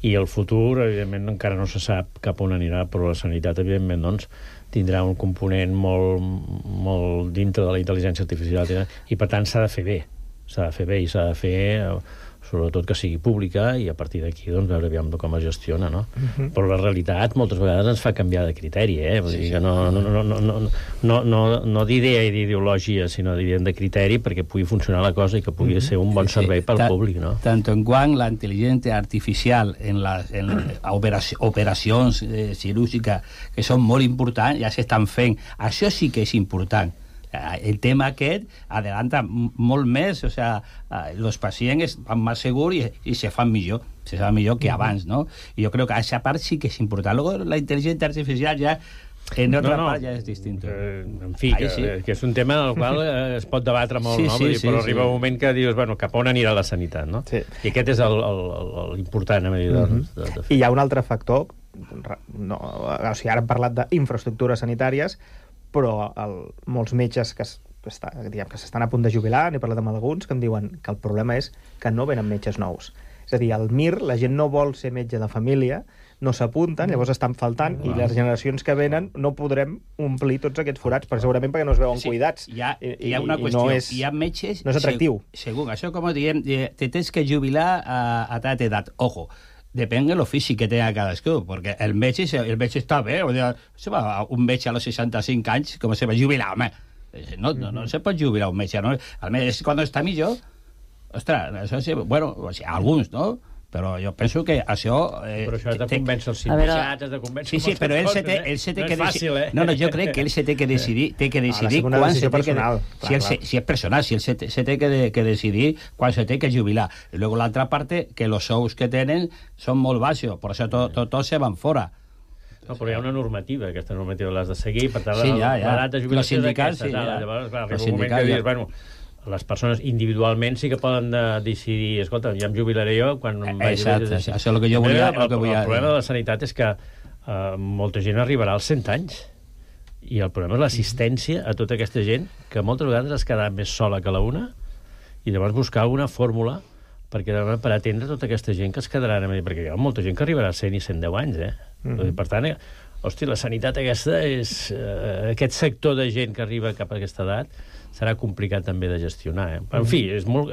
I el futur, evidentment, encara no se sap cap on anirà, però la sanitat, evidentment, doncs, tindrà un component molt dintre de la intel·ligència artificial i, per tant, s'ha de fer bé. S'ha de fer bé i s'ha de fer sobretot que sigui pública i a partir d'aquí doncs, veure aviam com es gestiona, no? Però la realitat moltes vegades ens fa canviar de criteri, Vull dir que no d'idea i d'ideologia, sinó de criteri perquè pugui funcionar la cosa i que pugui ser un bon servei pel públic, no? Tant en quant la intel·ligència artificial en operacions cirúrgiques que són molt importants, ja s'estan fent. Això sí que és important. El tema aquest adelanta molt més, o sea, els pacients van més segurs i se fan millor que abans, no? I jo crec que aquesta part sí que és important. Luego la intel·ligència artificial ja en otra part ja és distinto. En fi, que és un tema en el qual es pot debatre molt, no? Però arriba un moment que dius, bueno, cap on anirà la sanitat, no? I aquest és l'important, I hi ha un altre factor, o sigui, ara hem parlat d'infraestructures sanitàries, però molts metges que s'estan a punt de jubilar, n'he parlat amb alguns, que em diuen que el problema és que no venen metges nous. És a dir, al MIR la gent no vol ser metge de família, no s'apunten, llavors estan faltant, i les generacions que venen no podrem omplir tots aquests forats, segurament perquè no es veuen cuidats. Hi ha una qüestió, hi ha metges... No és atractiu. Segur, això com diem, te tens que jubilar a tal edat. Ojo, depèn de l'ofici que té cadascú, perquè el metge està bé, un metge a los 65 anys, com se va jubilar, home, no se pot jubilar un metge, no? El metge, quan està millor, ostres, això sí, bueno, alguns, no? Però jo penso que això... Però això has de convèncer els sindicats, has de convèncer sí, però ell se té que decidir... No, jo crec que ell se té que decidir quan se té que... Si és personal, si ell se té que decidir quan se té que jubilar. I luego l'altra parte, que els sous que tenen són molt baixos, per això tots se van fora. No, però hi ha una normativa, aquesta normativa l'has de seguir, per tant, l'edat de jubilació és aquesta. Llavors, clar, arriba un moment que dius, bueno, les persones individualment sí que poden decidir, escolta, ja em jubilaré jo quan em vagi... Exacte, això és el que jo volia... El problema de la sanitat és que molta gent arribarà als 100 anys i el problema és l'assistència a tota aquesta gent que moltes vegades es quedarà més sola que la una i llavors buscar una fórmula per atendre tota aquesta gent que es quedarà perquè hi ha molta gent que arribarà a 100 i 110 anys, Per tant, la sanitat aquesta és... aquest sector de gent que arriba cap a aquesta edat serà complicat també de gestionar. En fi, és molt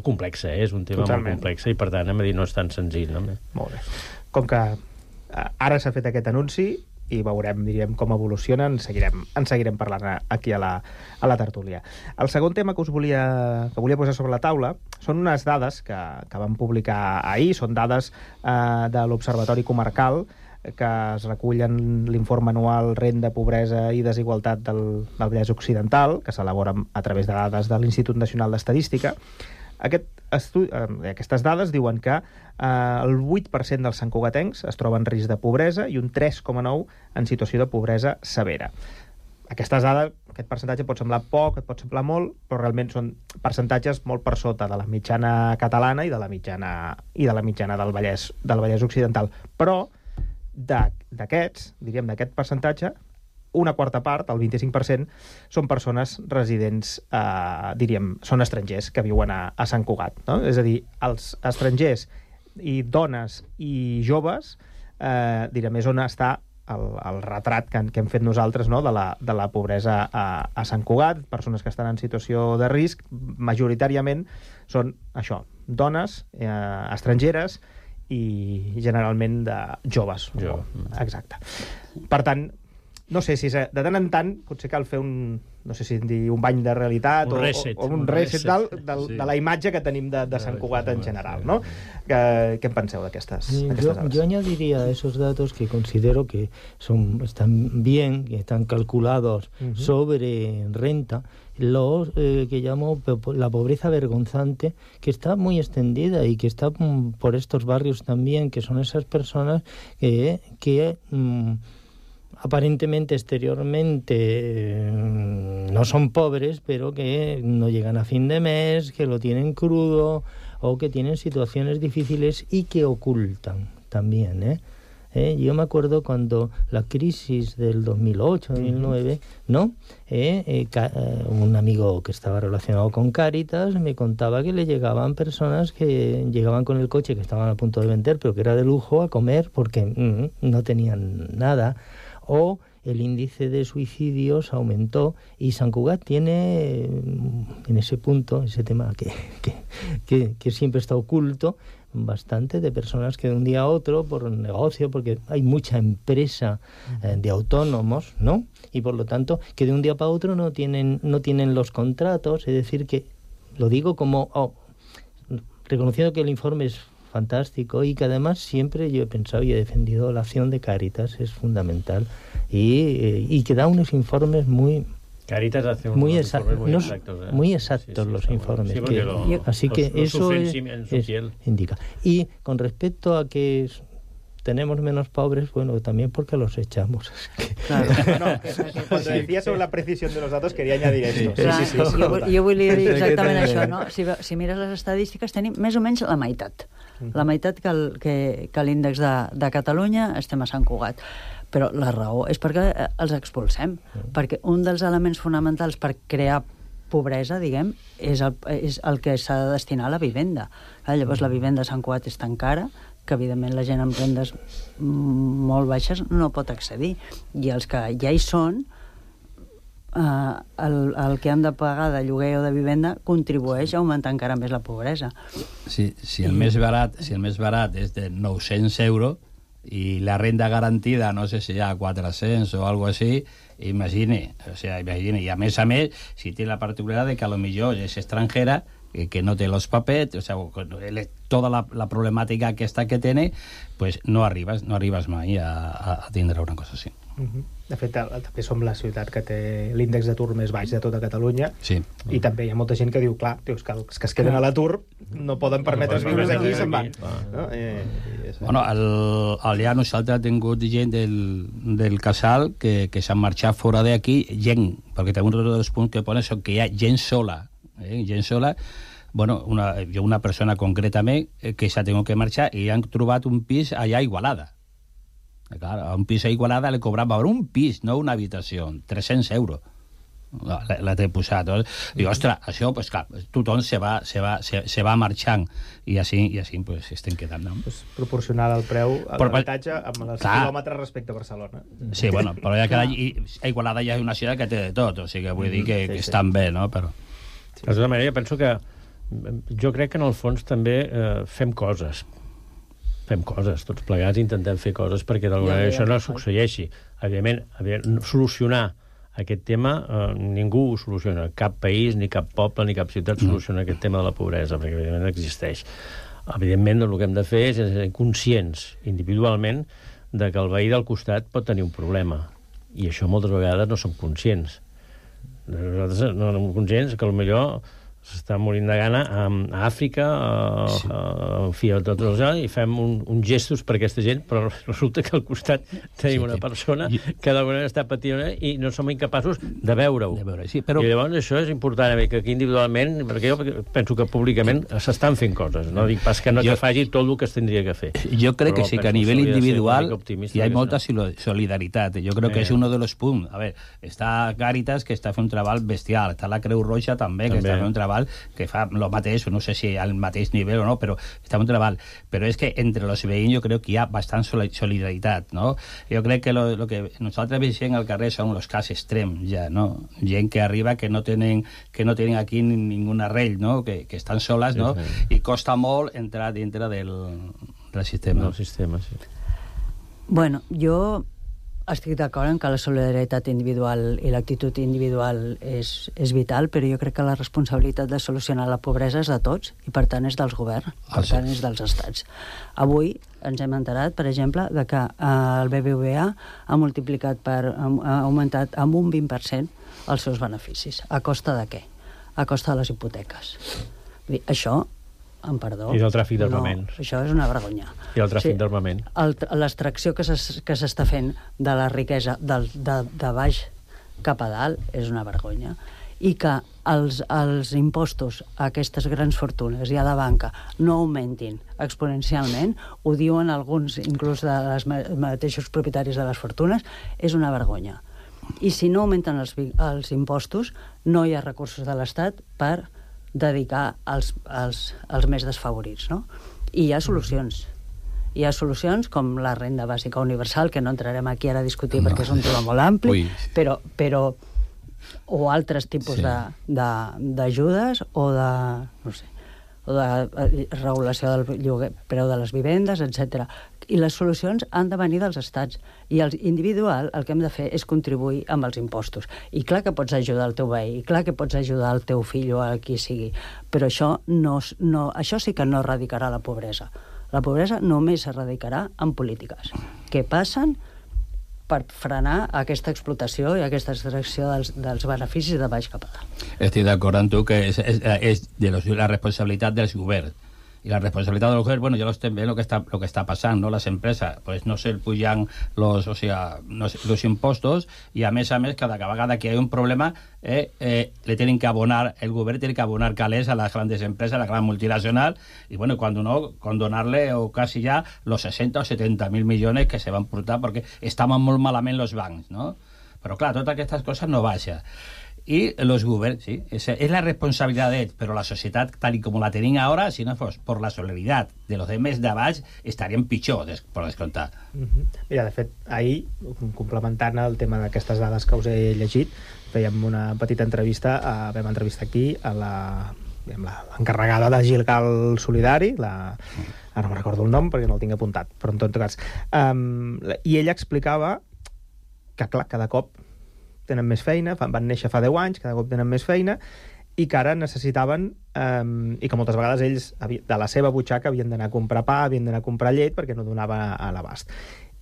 complex, és un tema molt complex i per tant, no és tan senzill. Molt bé. Com que ara s'ha fet aquest anunci i veurem, diríem, com evoluciona, en seguirem parlant aquí a la tertúlia. El segon tema que volia posar sobre la taula són unes dades que vam publicar ahir, són dades de l'Observatori Comarcal que es recullen l'informe anual Renda, Pobresa i Desigualtat del Vallès Occidental, que s'elabora a través de dades de l'Institut Nacional d'Estadística. Aquestes dades diuen que el 8% dels santcugatencs es troba en risc de pobresa i un 3,9% en situació de pobresa severa. Aquestes dades, aquest percentatge pot semblar poc, et pot semblar molt, però realment són percentatges molt per sota de la mitjana catalana i de la mitjana del Vallès Occidental. Però d'aquest percentatge, una quarta part, el 25%, són persones residents, són estrangers que viuen a Sant Cugat. No? És a dir, els estrangers i dones i joves, és on està el retrat que hem fet nosaltres, no? de la pobresa a Sant Cugat. Persones que estan en situació de risc, majoritàriament són això, dones, estrangeres, i generalment de joves. Exacte. Per tant, no sé si de tant en tant potser cal fer un bany de realitat o un reset de la imatge que tenim de Sant Cugat en general, ¿no? ¿Qué penseu d'aquestes dades? Yo añadiría a esos datos que considero que están bien, que están calculados sobre renta, los que llamo la pobreza vergonzante, que está muy extendida y que está por estos barrios también, que son esas personas que aparentemente, exteriormente, no son pobres, pero que no llegan a fin de mes, que lo tienen crudo o que tienen situaciones difíciles y que ocultan también, Yo me acuerdo cuando la crisis del 2008-2009, ¿no? Un amigo que estaba relacionado con Cáritas me contaba que le llegaban personas que llegaban con el coche que estaban a punto de vender, pero que era de lujo, a comer porque no tenían nada. O el índice de suicidios aumentó y Sant Cugat tiene en ese punto, ese tema que siempre está oculto, bastante de personas que de un día a otro, por negocio, porque hay mucha empresa de autónomos, ¿no? Y por lo tanto, que de un día para otro no tienen los contratos, es decir, que lo digo como reconociendo que el informe es fantástico y que además siempre yo he pensado y he defendido la acción de Cáritas, es fundamental, y que da unos informes muy... Cáritas hace muy exactos, muy exactos los informes. Sí, así que eso indica. Y con respecto a que tenemos menos pobres, bueno, también porque los echamos. Claro. Cuando decía sobre la precisión de los datos, quería añadir esto. Sí. Jo volia dir exactament això, no? Si mires les estadístiques, tenim més o menys la meitat. La meitat que l'índex de Catalunya estem a Sant Cugat. Però la raó és perquè els expulsem, perquè un dels elements fonamentals per crear pobresa, diguem, és el que s'ha de destinar a la vivenda. Llavors la vivenda a Sant Cugat és tan cara que evidentment la gent amb rendes molt baixes no pot accedir, i els que ja hi són, el que han de pagar de lloguer o de vivenda contribueix a augmentar encara més la pobresa. Si el més barat és de 900 euros i la renda garantida, no sé si hi ha 400 o algo així, imagine, i a més, si té la particularitat de que a lo millor és estrangera, que no té los papers, o sea, toda la problemàtica aquesta que té, pues no arribes mai a tindre una cosa així. De fet, també som la ciutat que té l'índex d'atur més baix de tota Catalunya, i també hi ha molta gent que diu, clar, que els que es queden a l'atur no poden permetre's viure aquí i se'n van. Bueno, allà nosaltres hem tingut gent del casal que s'han marxat fora d'aquí, gent, perquè també un dels punts que ponen són que hi ha gent sola, bueno, una persona concretament que s'ha tingut que marxar i han trobat un pis allà a Igualada. Clar, a un pis a Igualada li cobrava un pis, no una habitació, 300 euros. La té posat. I, ostres, això, pues, clar, tothom se va marxant i així pues, estem quedant. No? Pues, proporcionar el preu a l'habitatge amb els quilòmetres respecte a Barcelona. Sí, bueno, però a Igualada ja és una ciutat que té de tot, o sigui, vull dir que estan bé, no? Però... De tota manera, penso que jo crec que en el fons també fem coses, tots plegats intentem fer coses perquè d'alguna manera això no succeeixi. Evidentment, solucionar aquest tema ningú ho soluciona, cap país, ni cap poble, ni cap ciutat soluciona aquest tema de la pobresa, perquè evidentment existeix. Evidentment, el que hem de fer és ser conscients individualment de que el veí del costat pot tenir un problema, i això moltes vegades no som conscients. Nosaltres no som conscients que potser s'està morint de gana a Àfrica, en fi, a tot el lloc, i fem uns gestos per aquesta gent, però resulta que al costat tenim una persona que d'alguna manera està patint i no som incapaços de veure-ho. I llavors això és important, que aquí individualment, perquè jo penso que públicament s'estan fent coses, no dic pas que no te faci tot el que es tindria que fer. Jo crec que sí, que a nivell individual hi ha molta solidaritat. Jo crec que és un dels punts. A veure, està Càritas, que està fent un treball bestial, està la Creu Roja també, que està fent un treball que fa el mateix, no sé si al mateix nivell o no, però està un treball. Però és que entre els veïns jo crec que hi ha bastant solidaritat, no? Jo crec que el que nosaltres veiem al carrer són els casos extrems, ja, no? Gent que arriba que no tenen aquí ningú arrel, no? Que estan soles, no? I costa molt entrar dintre del sistema. Bueno, jo estic d'acord en que la solidaritat individual i l'actitud individual és vital, però jo crec que la responsabilitat de solucionar la pobresa és de tots i per tant és dels governs, per tant és dels estats. Avui ens hem enterat, per exemple, de que el BBVA ha augmentat amb un 20% els seus beneficis. A costa de què? A costa de les hipoteques. Això, amb perdó... I del tràfic d'armaments. No, això és una vergonya. I el tràfic d'armament. L'extracció que s'està fent de la riquesa de baix cap a dalt és una vergonya. I que els impostos a aquestes grans fortunes i a la banca no augmentin exponencialment, ho diuen alguns, inclús dels mateixos propietaris de les fortunes, és una vergonya. I si no augmenten els impostos, no hi ha recursos de l'Estat per dedicar als més desfavorits, no? I hi ha solucions. Hi ha solucions com la renda bàsica universal, que no entrarem aquí ara a discutir perquè és un tema molt ampli, però o altres tipus d'ajudes o de, no sé, o de regulació del preu de les vivendes, etc. I les solucions han de venir dels estats. I el individual el que hem de fer és contribuir amb els impostos. I clar que pots ajudar el teu veí, i clar que pots ajudar el teu fill o a qui sigui, però això això sí que no erradicarà la pobresa. La pobresa només s'erradicarà amb polítiques que passen per frenar aquesta explotació i aquesta extracció dels beneficis de baix cap a dalt. Estic d'acord amb tu que és de la responsabilitat dels governs. Y la responsabilidad de los gobiernos, bueno, ya lo estén viendo lo que está pasando, ¿no? Las empresas pues no se pujan los impostos y a mes cada vegada que hay un problema le tienen que abonar, el gobierno tiene que abonar calés a las grandes empresas, a la gran multinacional, y bueno, cuando no, condonarle o casi ya los 60 o 70.000 millones que se van a portar porque estaban muy malament los bancs, ¿no? Pero claro, todas estas cosas no vayan. Y los gobiernos, sí, es la responsabilidad de ellos, pero la sociedad, tal y como la tenían ahora, si no fos por la solidaridad de los demés d'abans, estarien pitjor, per descomptar. Mira, de fet, ahir, complementant el tema d'aquestes dades que us he llegit, fèiem una petita entrevista, vam entrevistar aquí a l'encarregada de Gilgal Solidari, ara no me'n recordo el nom perquè no el tinc apuntat, però en tot cas. I ella explicava que, clar, cada cop tenen més feina, van néixer fa 10 anys, cada cop tenen més feina, i que ara necessitaven, i que moltes vegades ells de la seva butxaca havien d'anar a comprar pa, havien d'anar a comprar llet perquè no donava a l'abast.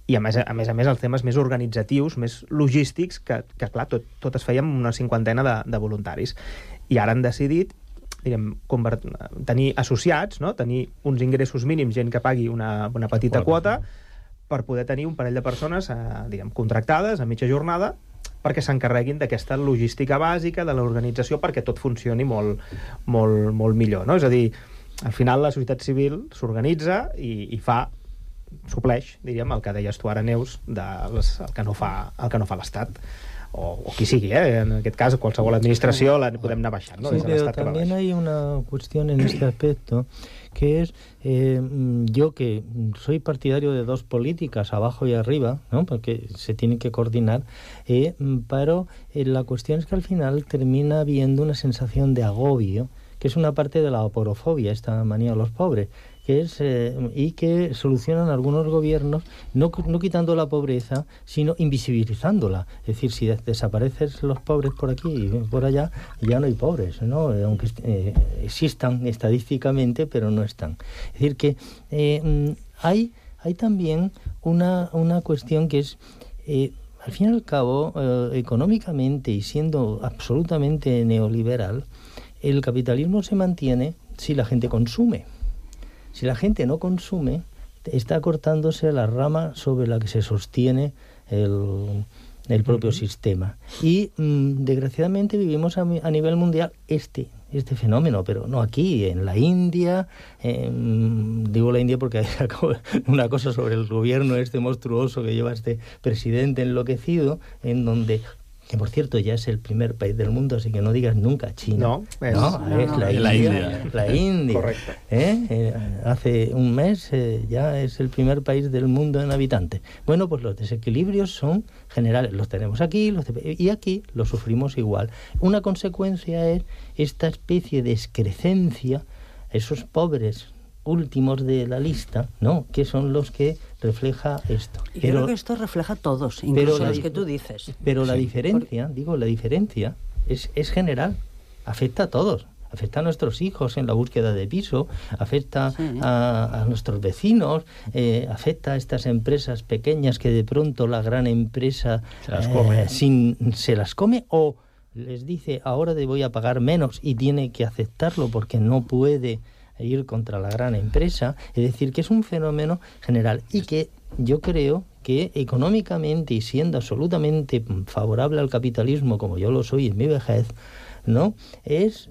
I a més, els temes més organitzatius, més logístics, que clar, tot es feia amb una 50 de voluntaris. I ara han decidit tenir associats, no? Tenir uns ingressos mínims, gent que pagui una petita quota, per poder tenir un parell de persones contractades a mitja jornada, perquè s'encarreguin d'aquesta logística bàsica, de l'organització, perquè tot funcioni molt, molt, molt millor. No? És a dir, al final la societat civil s'organitza i fa, supleix, diríem, el que deies tu ara, Neus, el que no fa l'Estat. O qui sigui, en aquest cas qualsevol administració la podem anar baixant, ¿no? Sí, pero también hay una cuestión en este aspecto, que es, yo que soy partidario de dos políticas, abajo y arriba, ¿no? Porque se tienen que coordinar, pero la cuestión es que al final termina habiendo una sensación de agobio, que es una parte de la aporofobia, esta manía de los pobres, que es y que solucionan algunos gobiernos no quitando la pobreza, sino invisibilizándola. Es decir, si desaparecen los pobres por aquí y por allá, ya no hay pobres, ¿no? Aunque existan estadísticamente, pero no están. Es decir, que hay también una cuestión que es, al fin y al cabo, económicamente y siendo absolutamente neoliberal, el capitalismo se mantiene si la gente consume. Si la gente no consume, está cortándose la rama sobre la que se sostiene el propio sistema. Y desgraciadamente vivimos a nivel mundial este fenómeno, pero no aquí, en la India, digo la India porque hay una cosa sobre el gobierno monstruoso que lleva este presidente enloquecido, en donde, que por cierto ya es el primer país del mundo, así que no digas nunca China. Es la India. La India. Correcto. Hace un mes ya es el primer país del mundo en habitantes. Bueno, pues los desequilibrios son generales. Los tenemos aquí y aquí los sufrimos igual. Una consecuencia es esta especie de excrecencia, esos pobres últimos de la lista, ¿no? Que son los que refleja esto. Yo creo que esto refleja a todos, incluso los que tú dices. Pero la diferencia, es general, afecta a todos. Afecta a nuestros hijos en la búsqueda de piso, afecta a nuestros vecinos, afecta a estas empresas pequeñas que de pronto la gran empresa se las come o les dice ahora te voy a pagar menos y tiene que aceptarlo porque no puede ir contra la gran empresa. Es decir, que es un fenómeno general y que yo creo que económicamente y siendo absolutamente favorable al capitalismo, como yo lo soy en mi vejez, ¿no? Es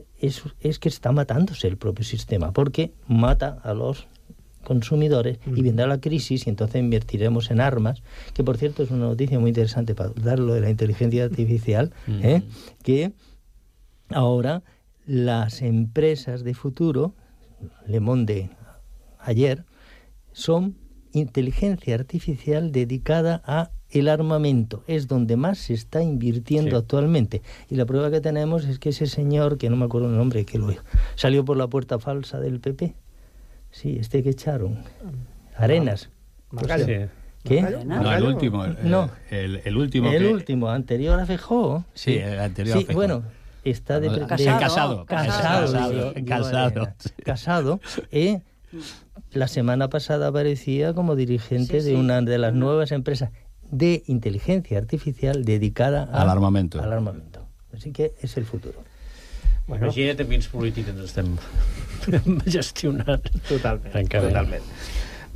que está matándose el propio sistema, porque mata a los consumidores y vendrá la crisis y entonces invertiremos en armas, que por cierto es una noticia muy interesante para dar lo de la inteligencia artificial, que ahora las empresas de futuro, Le Monde ayer, son inteligencia artificial dedicada a el armamento. Es donde más se está invirtiendo actualmente. Y la prueba que tenemos es que ese señor, que no me acuerdo el nombre, que salió por la puerta falsa del PP. Sí, que echaron. Arenas. ¿Qué? No, el último. El último. El último, anterior a Feijóo. Sí, el anterior a Feijóo. Bueno, está casado. La semana pasada aparecía como dirigente de una de las nuevas empresas de inteligencia artificial dedicada al armamento. Así que es el futuro. Bueno. Imagina't amb quins polítics ens estem gestionant. Totalment.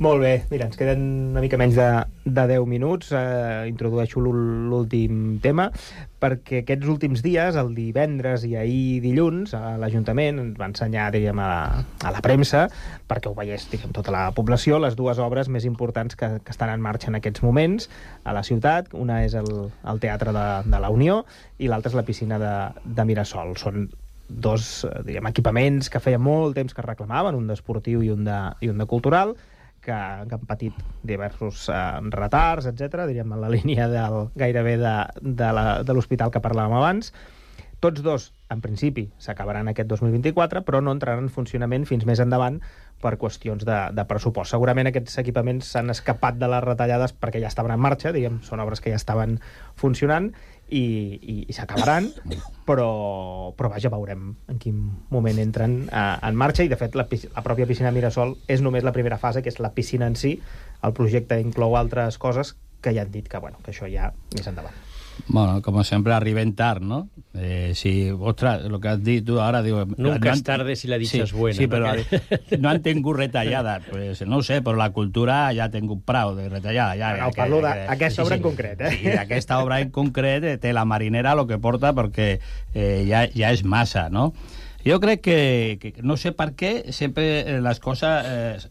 Molt bé, mira, ens queden una mica menys de 10 minuts. Introdueixo l'últim tema, perquè aquests últims dies, el divendres i ahir dilluns, l'Ajuntament ens va ensenyar, diríem, a la premsa, perquè ho veiés, diguem, tota la població, les dues obres més importants que estan en marxa en aquests moments a la ciutat. Una és el Teatre de la Unió i l'altra és la piscina de Mirasol. Són dos, diguem, equipaments que feia molt temps que reclamaven, un d'esportiu i un de cultural, que han patit diversos retards, etc., diríem, en la línia gairebé de l'hospital que parlàvem abans, Tots dos, en principi, s'acabaran aquest 2024, però no entraran en funcionament fins més endavant per qüestions de pressupost. Segurament aquests equipaments s'han escapat de les retallades perquè ja estaven en marxa, diguem, són obres que ja estaven funcionant i s'acabaran, però vaja, veurem en quin moment entren en marxa, i de fet la pròpia piscina Mirasol és només la primera fase, que és la piscina en si. El projecte inclou altres coses que ja han dit que això ja més endavant. Bueno, como siempre, arriben tard, ¿no? Si, ostras, lo que has dit tu ara... Digo, nunca es tarde si la dicha es buena. Sí, però no han tingut retallada. Pues, no ho sé, però la cultura ja ha tingut prou de retallada. Ja, parlo d'aquesta obra en concret. Sí, aquesta obra en concret té la marinera lo que porta, perquè ja és massa, no? Jo crec que no sé per què sempre les coses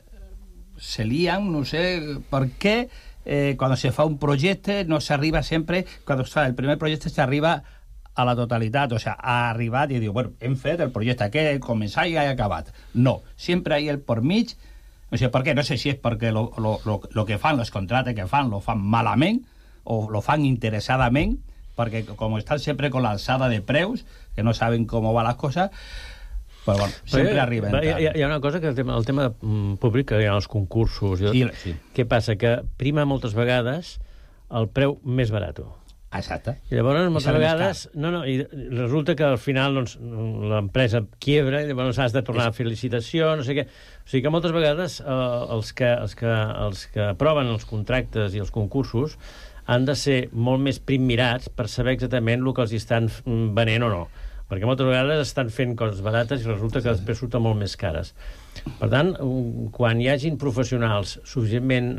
se lían, no sé per què. Cuando se fa un projecte no s'arriba sempre, quan es fa el primer projecte s'arriba a la totalitat, o sea, ha arribat i diu, bueno, hem fet el projecte, que començar i ha acabat. No, sempre hi ha el por mig, no sé per què, no sé si és perquè lo que fan, los contractes que fan, lo fan malament, o lo fan interessadament, perquè com estan sempre con l'alçada de preus, que no saben com van les coses, però bueno, sempre arriben. Hi ha una cosa que el tema públic, que hi ha els concursos, sí. Què passa? Que prima moltes vegades el preu més barat. Exacte. I llavors moltes vegades i resulta que al final l'empresa quiebra i llavors has de tornar a fer licitació, no sé què. O sigui que moltes vegades els que aproven els contractes i els concursos han de ser molt més primmirats per saber exactament el que els estan venent o no, perquè moltes vegades estan fent coses barates i resulta que després surten molt més cares. Per tant, quan hi hagin professionals suficientment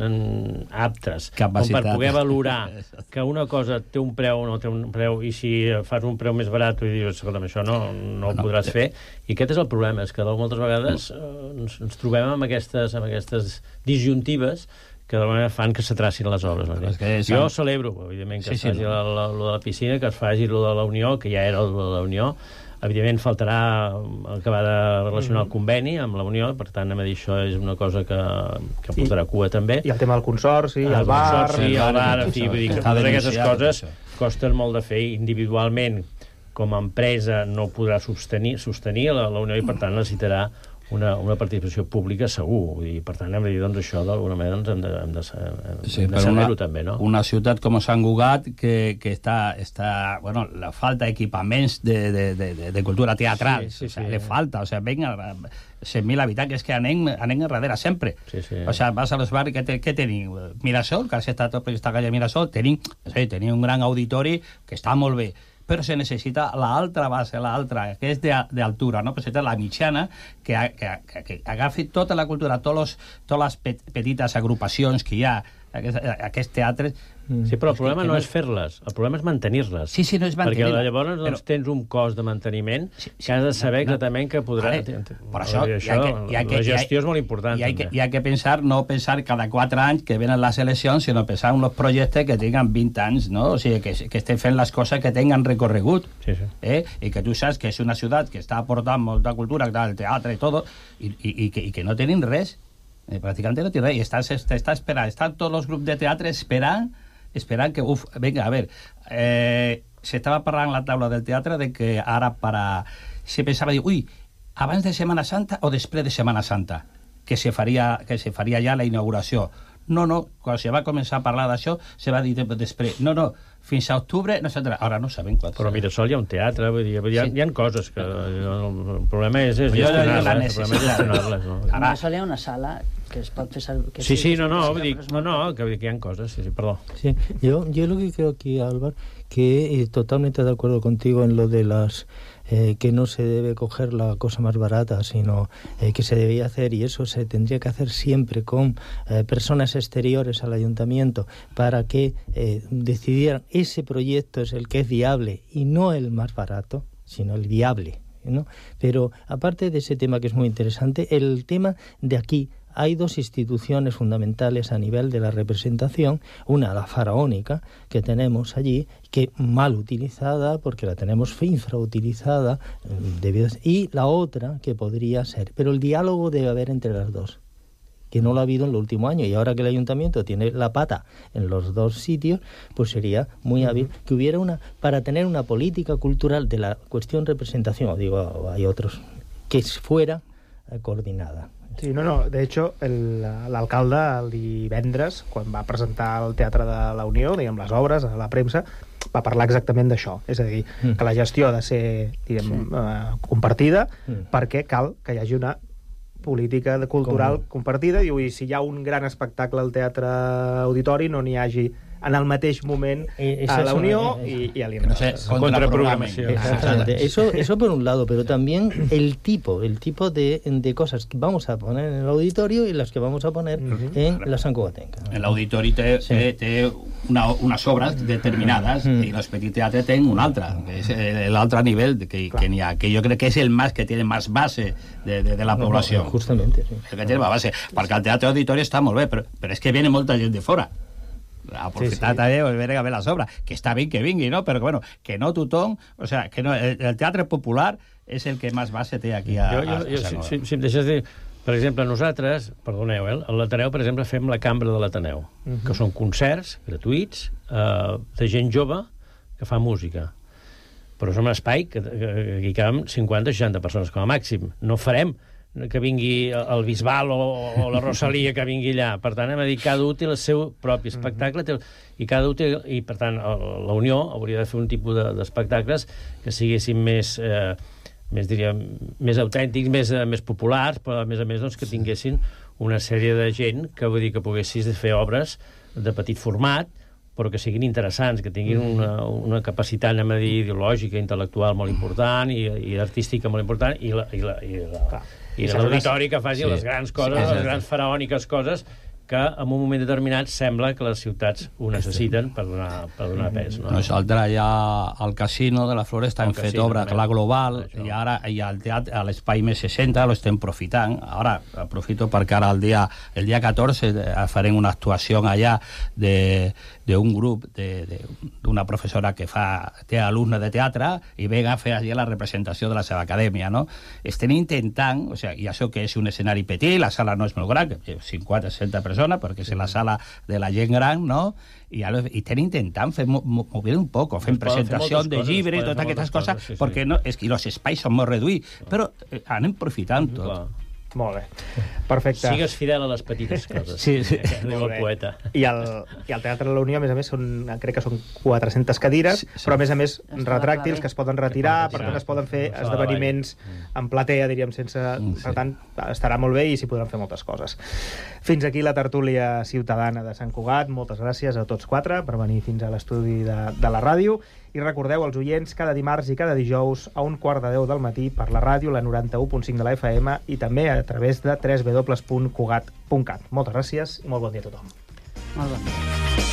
aptes com per poder valorar que una cosa té un preu o no té un preu, i si fas un preu més barat i dius, escolta'm, això no ho podràs fer, i aquest és el problema, és que moltes vegades ens trobem amb aquestes disjuntives que d'alguna manera fan que s'atracin les obres. Jo celebro, evidentment, que es faci lo de la piscina, que es faci lo de la Unió, que ja era lo de la Unió. Evidentment, faltarà acabar de relacionar el conveni amb la Unió, per tant, anem a dir, això és una cosa que portarà cua, també. I el tema del consorci, el bar... en fi, vull dir que totes aquestes coses costen molt de fer individualment. Com a empresa no podrà sostenir la Unió i, per tant, necessitarà una participació pública segur, i per tant hem de dir, doncs això d'alguna manera hem de saber-ho també, no? Una ciutat com Sant Cugat que està bueno, la falta d'equipaments de cultura teatral, le falta, o sea, venga 100.000 habitants, és que anem darrere sempre. O sea, vas a los barris, què tenim? Mirasol, que està tot per aquesta calle Mirasol, tenim un gran auditori que està molt bé, però se necessita l'altra base, que és d'altura, no? Però la mitjana, que agafi tota la cultura, totes les petites agrupacions que hi ha, aquests teatres... Sí, però el problema no és fer-les, el problema és mantenir-les. Sí, no és mantenir-les. Perquè llavors tens un cost de manteniment que has de saber exactament que podrà... Per això, la gestió és molt important. Hi ha que pensar, no pensar cada 4 anys que venen les eleccions, sinó pensar en els projectes que tinguin 20 anys, no? O sigui, que estem fent les coses que tinguin recorregut. I que tu saps que és una ciutat que està aportant molta cultura, el teatre i tot, i que no tenim res. Pràcticament no té res. I està esperant, estan tots els grups de teatre esperant que, venga, a ver, se estava parlant en la taula del teatre de que ara se pensava dir, abans de Setmana Santa o després de Setmana Santa que se faria ja la inauguració. No, quan se va començar a parlar d'això se va dir després, fins a octubre, ara no sabem quan. Però a Mirasol hi ha un teatre, vull dir, hi ha coses que el problema és gestionar-les. A Mirasol hi ha una sala que es pot fer servir... Sí, que hi ha cosas, perdó. Sí, yo lo que creo aquí, Álvaro, que totalmente de acuerdo contigo en lo de las... que no se debe coger la cosa más barata, sino que se debía hacer, y eso se tendría que hacer siempre con personas exteriores al ayuntamiento para que decidieran ese proyecto es el que es viable y no el más barato, sino el viable, ¿no? Pero aparte de ese tema que es muy interesante, el tema de aquí, hay 2 instituciones fundamentales a nivel de la representación, una la faraónica que tenemos allí, que mal utilizada porque la tenemos infrautilizada, y la otra que podría ser, pero el diálogo debe haber entre las dos. que no lo ha habido en el último año, y ahora que el ayuntamiento tiene la pata en los dos sitios, pues sería muy hábil que hubiera para tener una política cultural de la cuestión representación, digo, hay otros, que fuera coordinada. Sí, no, de hecho, l'alcalde el divendres, quan va presentar al Teatre de la Unió, diguem, les obres, a la premsa, va parlar exactament d'això, és a dir, que la gestió ha de ser, diguem, compartida, perquè cal que hi hagi una política cultural compartida, i si hi ha un gran espectacle al Teatre Auditori, no n'hi hagi en el mateix moment a la Unió y a l'Inra. No sé, contraprogramación. Eso por un lado, pero también el tipo de cosas que vamos a poner en el auditorio y las que vamos a poner en la Sant Cugatenca. El auditori té unes obres determinades i l'Espetit Teatre té un altre, que és l'altre nivell que n'hi ha, que jo crec que és el más que tiene más base de la població. Justamente, sí. El que tiene más base, perquè el Teatre Auditori està molt bé, però és que viene molta gent de fora. Aprofitar també a veure a les obres, que està bé que vingui, no? Però bueno, que no tothom, o sea, que no, el teatre popular és el que més base té aquí a si em deixes dir, per exemple, nosaltres, perdoneu, a l'Ateneu, per exemple, fem la Cambra de l'Ateneu, que són concerts gratuïts de gent jove que fa música, però és un espai que hi caben 50-60 persones com a màxim. No farem que vingui el Bisbal o la Rosalia que vingui allà. Per tant, hem de dir, cada un té el seu propi espectacle i cada un té, i per tant la Unió hauria de fer un tipus d'espectacles que siguessin més autèntics, més populars, però a més doncs, que tinguessin una sèrie de gent que vull dir que poguessis fer obres de petit format, però que siguin interessants, que tinguin una capacitat, anem a dir, ideològica, intel·lectual molt important i artística molt important, i l'auditori que faci les grans coses, les grans faraòniques coses que en un moment determinat sembla que les ciutats ho necessiten per donar pes. Nosaltres allà al Casino de la Floresta hem fet obra a la Global i ara al teatre, a l'Espai Més 60 lo estem aprofitant. Ara aprofito perquè ara el dia 14 farem una actuació allà d'un grup d'una professora que té alumnes de teatre i ve a fer allà la representació de la seva acadèmia, no? Estem intentant, o sigui, i això que és un escenari petit, la sala no és molt gran, 50-60 persones, perquè és la sala de la gent gran, no? I estem intentant mover un poc, fent presentació de llibres, totes aquestes coses, perquè els espais són molt reduïts, però anem aprofitant tot. Molt bé, perfecte. Sigues fidel a les petites coses. Sí. Diu el poeta. I al Teatre de la Unió, a més, crec que són 400 cadires, però a més retràctils que es poden retirar, per tant es poden fer esdeveniments en platea, diríem, sense... Per tant, estarà molt bé i s'hi podran fer moltes coses. Fins aquí la tertúlia ciutadana de Sant Cugat. Moltes gràcies a tots quatre per venir fins a l'estudi de la ràdio. I recordeu, els oients, cada dimarts i cada dijous a 9:45 del matí per la ràdio, la 91.5 de la FM, i també a través de www.cugat.cat. Moltes gràcies i molt bon dia a tothom. Molt bon dia.